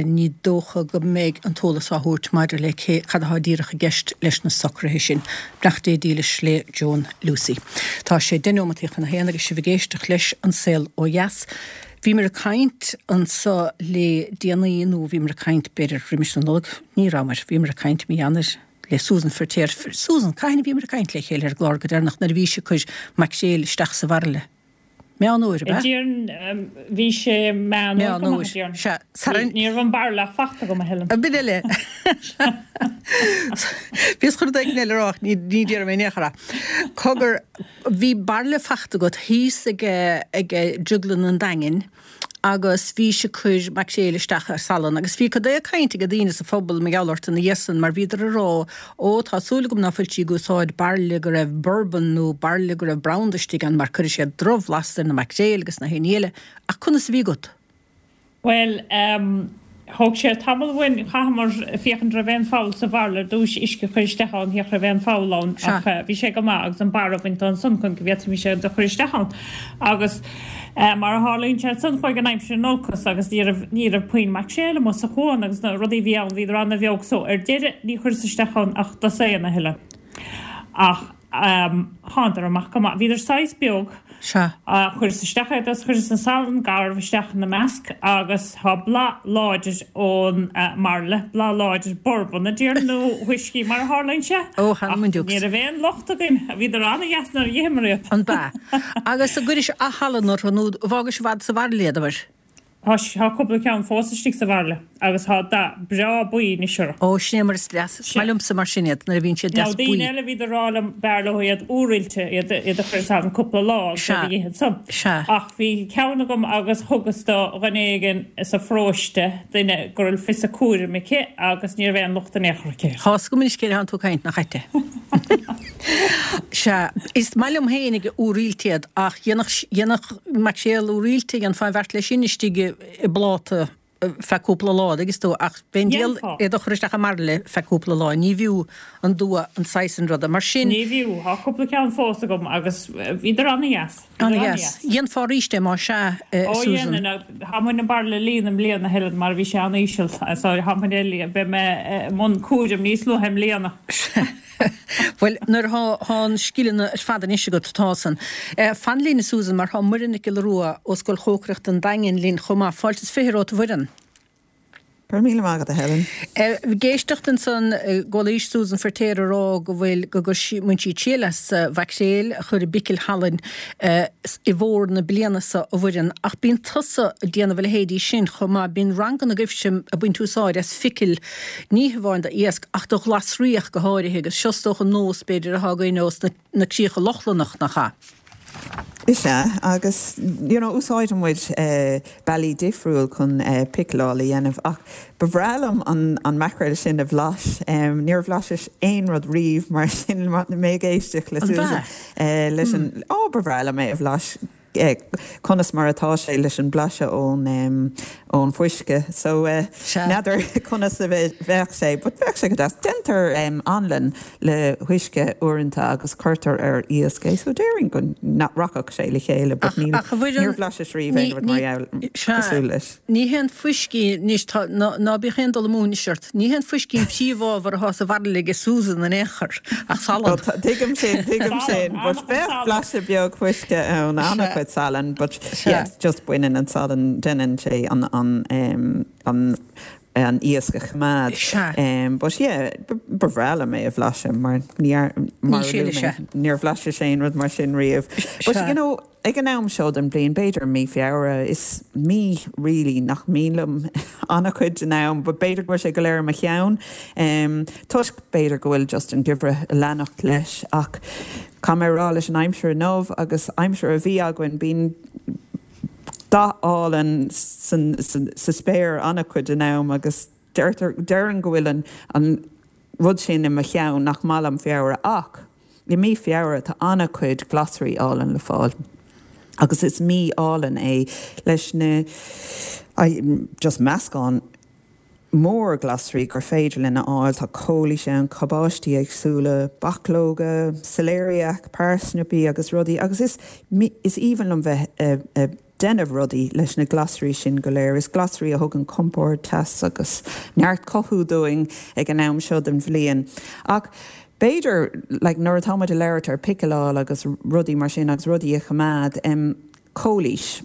Ní dócha go mbeidh an t-eolas á thabhairt maidir le cé cad atá díreach i gceist leis na socruithe sin. Beannacht Dé dílis le Joan Lucey. Tá sé deich neomataí chun a haon agus sibh ag éisteacht leis An Saol Ó Dheas. Bhíomar ag caint anso le déanaí, nó bhíomar ag caint b'fhéidir roimis na Nollag, ní rabhamar, bhíomar ag caint mí Eanáir, le Susan Feirtéar. Susan, cathain a bhíomar ag caint le chéile ar an gclár go deireanach nuair a bhís ag cur maicréil isteach sa bhairille? Meán Fhómhair, ab ea? Déarfainn, bhí sé Meán Fhómhair go maith, déarfainn. Sea. Sara. Ní raibh an bairille ach fachta agam, a Helen. B'in eile. Bhíos chun rud éigin eile a rá ach ní déarfaidh mé in aon chor é. Cogar, bhí bairille fachta agat thíos ag ag Drioglann an Daingin agus bhís ag cur maicréil isteach ar salann agus bhí cad é caint ag daoine sa phobal mar gheall ort ina dhiaidh san mar bhíodar ag rá ó tá súil agam ná fuil sí ag úsáid bairille go raibh bourbon nó bairille go raibh branda istigh ann mar cuirfidh sé drochbhlas ar na maicréil agus na haon ní eile ach conas a bhí agat? Bhuel, ehm. Thóg sé tamall uainn, chaitheamar féachaint raibh aon pholl sa bhairille ar dtúis, uisce a chur isteach ann, féach raibh aon pholl ann ach bhí sé go maith agus an barra a bhaint ansan chun go bhféadfaimis é do chur isteach ann. Agus mar a tharlaíonn sé ansan chuaigh an aimsir in olcas agus ní raibh, ní raibh puinn maicréil amuigh sa chuan agus na rudaí a bhí ann bhíodar ana-bheag so ar deireadh ní chuireas isteach ann ach dosaen a thuilleadh. Ach. Thánadar amach go maith. Bhíodar saghas beag. Sea. Chuireas isteach iad agus chuireas an salann garbh isteach ina measc agus tá blas láidir ón mbairille, blas láidir bourbon a déarfainn nó whiskey mar a tharlaíonn sé. Ó, th'anam 'on Ach dukes. ní raibh aon locht againn. Bhíodar an-dheas nuair a d'itheamar iad. An b'ea? Agus an gcuiris ath-shalann orthu nó d'fhágais i bhfad sa bhairille iad, abair? Tá tá cúpla ceann fós istigh sa bhairille agus tá dath breá buí anois orthu. Ó, sin é mar is deas, is maith liomsa mar sin iad, nuair a bhíonn siad Now deas buí. daoine eile bhíodar ag rá liom b'fhearr leo iad úroillte, iad iad a chur i salann cúpla lá agus iad Sea, a dh'ithe ansan. sea. Ach bhí ceann agam agus thugas do dhuine éigin sa pharóiste, duine go raibh fios a cúraim aici agus ní raibh aon locht in aon chor aici air. Tá 's agam anois cé atánn tú ag caint, nach ait é? Sea, is maith liom féinig úroillte iad ach dhéanfadh, dhéanfadh maicréal úroillte, dhéanfá an bheart leis sin istigh i bpláta feadh cúpla lá, an dtuigeann tú, ach b'é an diabhal Dhéanfá. iad a chur isteach i mbairille feadh cúpla lá, ní bhfiú an dua an saghas sin ruda. Mar sin. Ní bhfiú, tá cúpla ceann fós agam agus bhíodar an-dheas. Bhíodar An-dheas. an-dheas. Dhéanfá arís é más ea, a Ó Susan. dhéanfainn, tá muid an bairille a líonadh i mbliana, a Helen, mar bhí sé an-íseal, so tá muid é, beidh mé i mbun cúraim níos luaithe i mbliana. Bhuel, nuair atá tá an scileanna ar fad anois agat, tá san. Fan linn, a Susan, mar tá Muireann Nic Giolla Rua ó Scoil Chócaireachta an Daingin linn chomh maith. Fáilte is 20 romhat, a Mhuireann. Go raibh míle maith agat, a Helen. Ag éisteacht ansan go bhfuil Susan Feirtéar ag rá go bhfuil, go mbaineann sí triail as mhaicréil a chur i bpicil shalainn i bhfómhar na bliana seo, a Mhuireann, ach bíonn tusa ag déanamh a leithéidí sin chomh maith. Bíonn ranganna agaibhse ag baint úsáid as phicil Ní hamháin d'iasc, ach do ghlasraí ach go háirithe, agus seo is dócha nós, b'fhéidir, atá againn ós na críocha Lochlannach, nach ea? Is ea, agus you know úsáideann muid bealaí difriúil chun picileáil a dhéanamh ach ba bhreá liom an an maicréal sin a bhlais. Níor bhlaiseas aon rud riamh mar sin mé ag éisteacht le An Susan b'ea? leis an, ó ba bhreá liom é a bhlais. conas mar atá sé leis an blaiseadh ón ón fuisce so n'fheadar conas a bheadh sé but bheadh sé go deas. Déantar anlann le huisce uaireanta agus cuirtear ar iasc é so déarfainn go rachadh sé le chéile but níl níor bhlaiseas riamh aon rud mar gheall cosúil leis. Ní hé an fuiscí anois, tá, ná bíodh aon dul amú anois ort, ní hé an fuiscí an príomhábhar atá sa bhairille aige Susan in aon chor, ach salann. Tuigim sin, tuigim sin, but bheadh blaiseadh beag fuisce ann, an-chuid salainn, but yeah, just baineann an salann, déanann sé an, an, an, an iasc a choimeád. Sea. But yeah, ba bhreá liom é a bhlaiseadh mar ní, mar a luaigh mé, níor bhlaiseas aon rud mar sin riamh. But you know, Ag an am seo den bhliain, b'fhéidir mí Feabhra, is mí really nach mian liom an-chuid den am, but b'fhéidir go bhfuil sé go léir i mo cheann, toisc b'fhéidir go bhfuil just an geimhreadh ag leanacht leis. Ach caithfidh mé a rá leis an aimsir inniu agus aimsir a bhí againn, bíonn dath álainn sa spéir an-chuid den am agus deirtear, déarfainn go bhfuil an an rud sin i mo cheann nach maith liom Feabhra ach, I mí Feabhra tá an-chuid glasraí álainn le fáil agus is mí álainn é leis na just meascán mór glasraí gur féidir linn a fháil. Tá cóilís ann, cabáistí éagsúla, bachlóga, celeriac, parsnaipí agus rudaí agus is is aoibhinn liom bheith ag déanamh rudaí leis na glasraí sin go léir. Is glasraí a thugann compord, teas agus neart cothú dúinn ag an am seo den bhliain. Ach b'fhéidir, like, nuair atá muid ag labhairt ar picileáil agus rudaí mar sin agus rudaí a choimeád, em, cóilís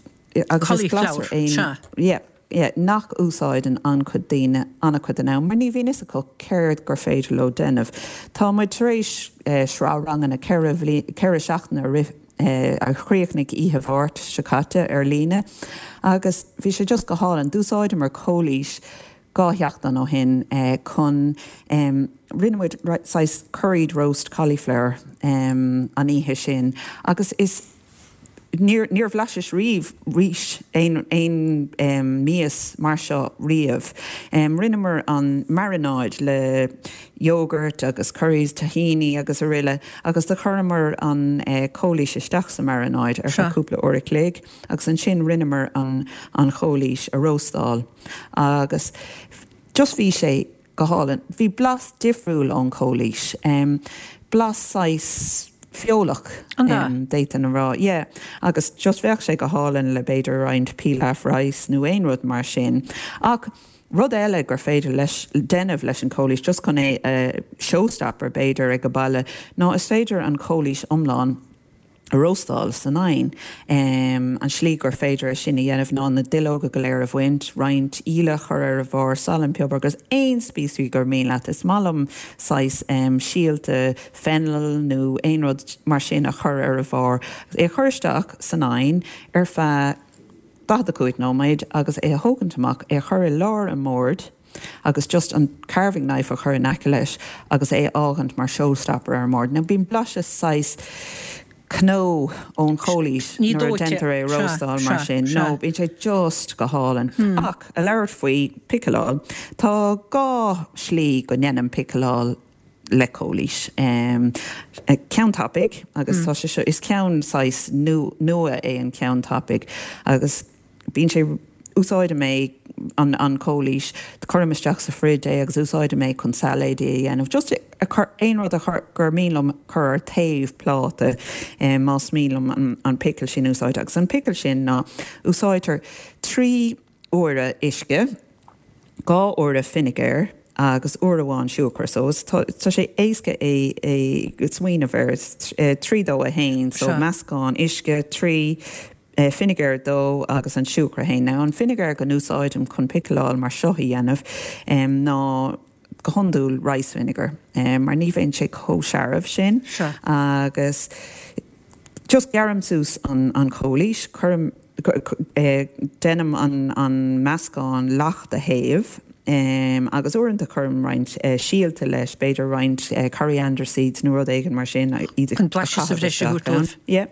agus is glasra é, yeah, yeah, nach úsáideann an-chuid daoine an-chuid den am mar ní bhíonn fhios acu céard gur féidir leo déanamh. Tá muid tar éis sraith ranganna 4 cheithre seachtaine a rith a chríochnaigh oíche Mháirt seo caite ar líne agus bhí sé just go hálainn. D'úsáideamar cóilís dhá sheachtain ó shin chun, rinne muid saghas curried roast cauliflower an oíche sin agus is. Níor, níor bhlaiseas riamh rís, aon, aon mias mar seo riamh. Rinneamar an mairináid le yogurt agus curries, tahini agus aroile agus do chuireamar an chóilís isteach sa mairináid ar feadh cúpla uair a chloig agus ansin rinneamar an, an chóilís a róstáil agus just bhí sé go hálainn. Bhí blas difriúil ón chóilís. Blas saghas feolach, d'fhéadfainn a rá. Yeah. Agus just bheadh sé go hálainn le b'fhéidir roinnt pilaf rice nó aon rud mar sin. Ach rud eile gur féidir leis, déanamh leis an chóilís, just chun é a showstopper b'fhéidir ag an baile, ná is féidir an chóilís iomlán, a róstáil san oigheann. An slí gur féidir é sin a dhéanamh ná na duilleoga go léir a bhaint, roinnt íle a chur ar a bharr, salann, piobar agus aon spíosraí gur mian leat. Is maith liom saghas síolta fennel nó aon rud mar sin a chur ar a bharr. É a chur isteach san oigheann ar feadh 45 nóiméad agus é a thógaint amach, é a chur i lár an bhoird. agus just an carving knife a chur in aice leis agus é a fhágaint mar showstopper ar an mbord. Now bíonn blaiseadh saghas cnó ón chóilís nuair a déantar é a róstáil mar sin. No, bíonn sé just go hálainn. Ach a labhairt faoi picileáil, tá dhá shlí go ndéanaim picileáil le cóilís. Ceann tapaidh agus tá sé seo, is ceann saghas nua é an ceann tapaidh agus Bíonn sé, úsáidim é, an an chóilís, cuirim isteach sa fridge é agus úsáidim é chun sailéidí a dhéanamh, just a chur, aon rud a chur, gur mian liom cur ar taobh pláta más mian liom an an pickle sin a úsáid. Agus an pickle sin ná, úsáidtear 3 uaire uisce, 2 uaire finigéir agus uair amháin siúcra. So is tá tá sé éasca é é smaoineamh air, 3 2 1, so meascán uisce, 3, finigéir 2 agus an siúcra 1. Now an finigéir go n-úsáidim chun picileáil mar seo a dhéanamh ná go hiondúil rice vinegar mar ní bheidh sé chomh searbh sin agus just gearraim suas an an chóilís, cuirim, déanaim an an meascán leacht a théamh agus uaireanta cuirim roinnt síolta leis, b'fhéidir roinnt coriander seeds nó rud éigin mar sin, iad a Chun blaiseadh sa chaitheamh bhreis a isteach thabhairt ann. dóibh. Yeah.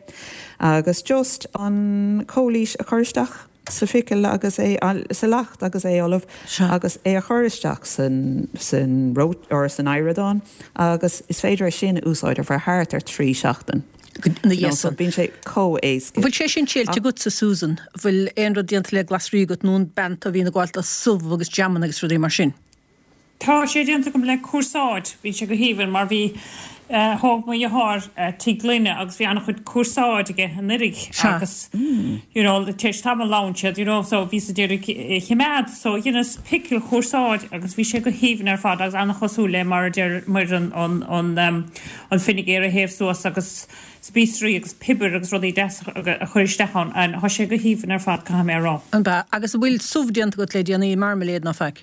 Agus just an chóilís a chur isteach sa phicil agus é, sa leacht agus é ullamh agus é a chur isteach san, san or san oighreadán agus is féidir é sin a úsáid ar feadh thart ar 3 seachtain. Ina dhiaidh So san. bíonn sé chomh éasca. Bhfuil sé sin triailte agatsa, Susan? Bhfuil aon rud déanta le glasraí agat nó an bean a bhíonn ag gabháil do subh agus jamanna agus rudaí mar sin? Tá sé déanta agam le cúrsáid. Bhí sé go haoibhinn mar bhí, thóg mo dheartháir tigh gloine agus bhí an-chuid cúrsáid aige anuraidh agus you know tar éis tamaill leánn siad you know so bhíos ag iarraidh a choimeád so dheineas picil chúrsáid agus bhí sé go haoibhinn ar fad agus an-chosúil le mar a deir Muireann an an an finigéar a théamh suas agus spíosraí agus piobar agus rudaí deasa a chur isteach ann and tá sé go haoibhinn ar fad caithfidh mé a rá. An b'ea? Agus an bhfuil subh déanta agat le déanaí, marmalade ná faic?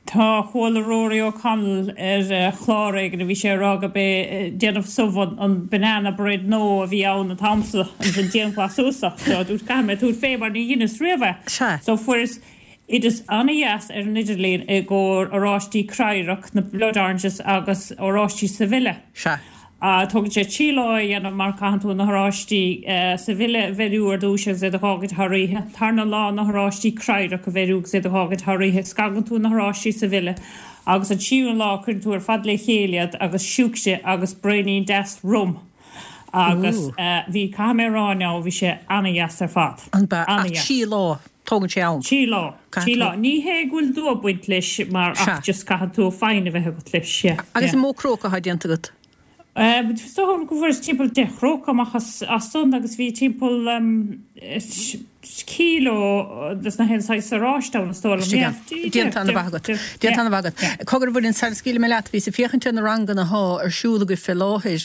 Tá, chuala Rory O'Connell ar chlár éigin a bhí sé ag rá go b'é déanamh subh an banana bread nua a bhí ann an t-am so agus an dianghlasáil so dúirt caithfidh mé tabhairt fé mar ní dheineas riamh é. Sea. So fuaireas oideas an-dheas ar an idirlíon i gcomhair oráistí cradharc, na blood oranges agus oráistí Sevilla. Sea. Tógann sé 3 lá é a dhéanamh mar caitheann tú na horáistí Sevilla a bheiriú ar dtúis agus iad a dh'fhágaint thar oíche. Tarna lá na horáistí cradharc a bheiriú agus iad a dh'fhágaint thar oíche. Scagann tú na horáistí Sevilla agus an tríú lá cuireann tú ar fad le chéile iad agus siúcra agus braoinín deas rum agus bhí, caithfidh mé a rá now, bhí sé ana-dheas ar fad. An b'ea? Ach Ana-dheas. 3 lá. Tógann sé am. 3 lá. 3 lá. Ní hé go bhfuil dua ag baint leis mar ach just caithfidh tú foighne a bheith agat leis. Yeah. Agus an mó cróca atá déanta agat? Is dócha go bhfuaireas timpeall 10 chróca amach as san agus bhí timpeall kilo des na haon saghas oráiste ann is dóigh liom. Yeah. Déanta an-mhaith agat. Déanta an-mhaith agat. Cogar a Mhuireann, sara scaoilfidh mé leat, bhíos ag féachaint ar na ranganna athá ar siúl agaibh fé láthair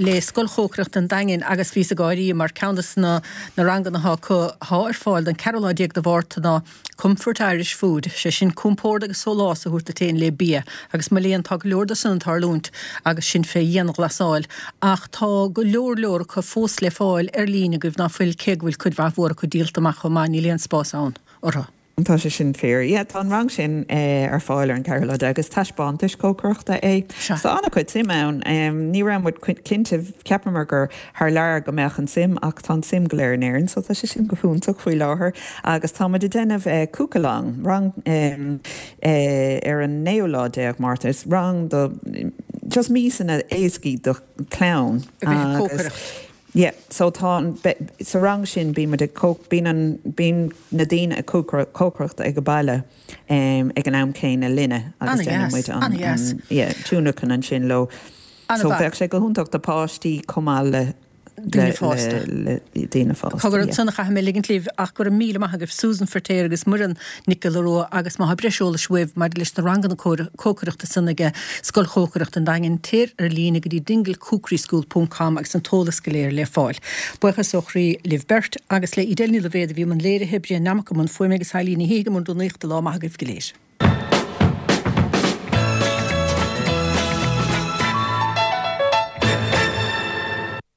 le Scoil Chócaireachta an Daingin agus bhíos ag gáirí mar ceann des na Na ranganna atá acu atá ar fáil don 14 lá de Mhárta ná Comfort Irish Food, sé sin compord agus sólás a thabhairt duit féin le bia, agus mo léan tá go leor de san ag tarlúint agus sinn fé dhianghlasáil, ach tá go leor leor acu fós le fáil ar líne agaibh ná fuil, cé go bhfuil cuid mhaith mhór acu díolta amach chomh maith, níl aon spás ann orthu. Tá sé sin fíor. Yeah, tá an rang sin ar fáil ar an ceathrú lá déag. Is taispeántais cócaireachta é. Sea. Tá an-chuid suim ann. Ní raibh muid cinnte, cheapamar gur thar lear go mbeadh an suim ach tá an suim go léir in Éirinn so tá sé sin go hiontach faoi láthair. Agus tá muid ag déanamh cook-along, rang ar an naoú lá déag Márta. Is rang do just miasanna éascaí do chlann. A bheith ag cócaireacht. Yeah, so tá an, sa rang sin bíonn muid ag cóc, bíonn an, bíonn na daoine ag cócaireacht ag baile ag an am céanna linne agus déanann muid an, an, yeah, tionlacan ansin leo. So bheadh sé go hiontach do páistí chomh maith le, Daoine fásta. le, le daoine fásta, Cogar yeah. ansan a chaithfidh mé ligint libh ach go raibh míle maith agaibh Susan Feirtéar agus Muireann Nic Giolla Rua agus má tá breis eolais uaibh maidir leis na ranganna cócaireachta san aige Scoil Chócaireachta an Daingin, téir ar líne go dtí dinglecookeryschool ponc com agus an t-eolas go léir le fáil. Buíochas ó chroí libh beirt agus le Edel Ní Loibhéad a bhí i mbun léirithe, Brian Nammock i mbun fuaime agus Eileen Ní Shíthigh i mbun rúnaíochta. Lá maith agaibh go léir.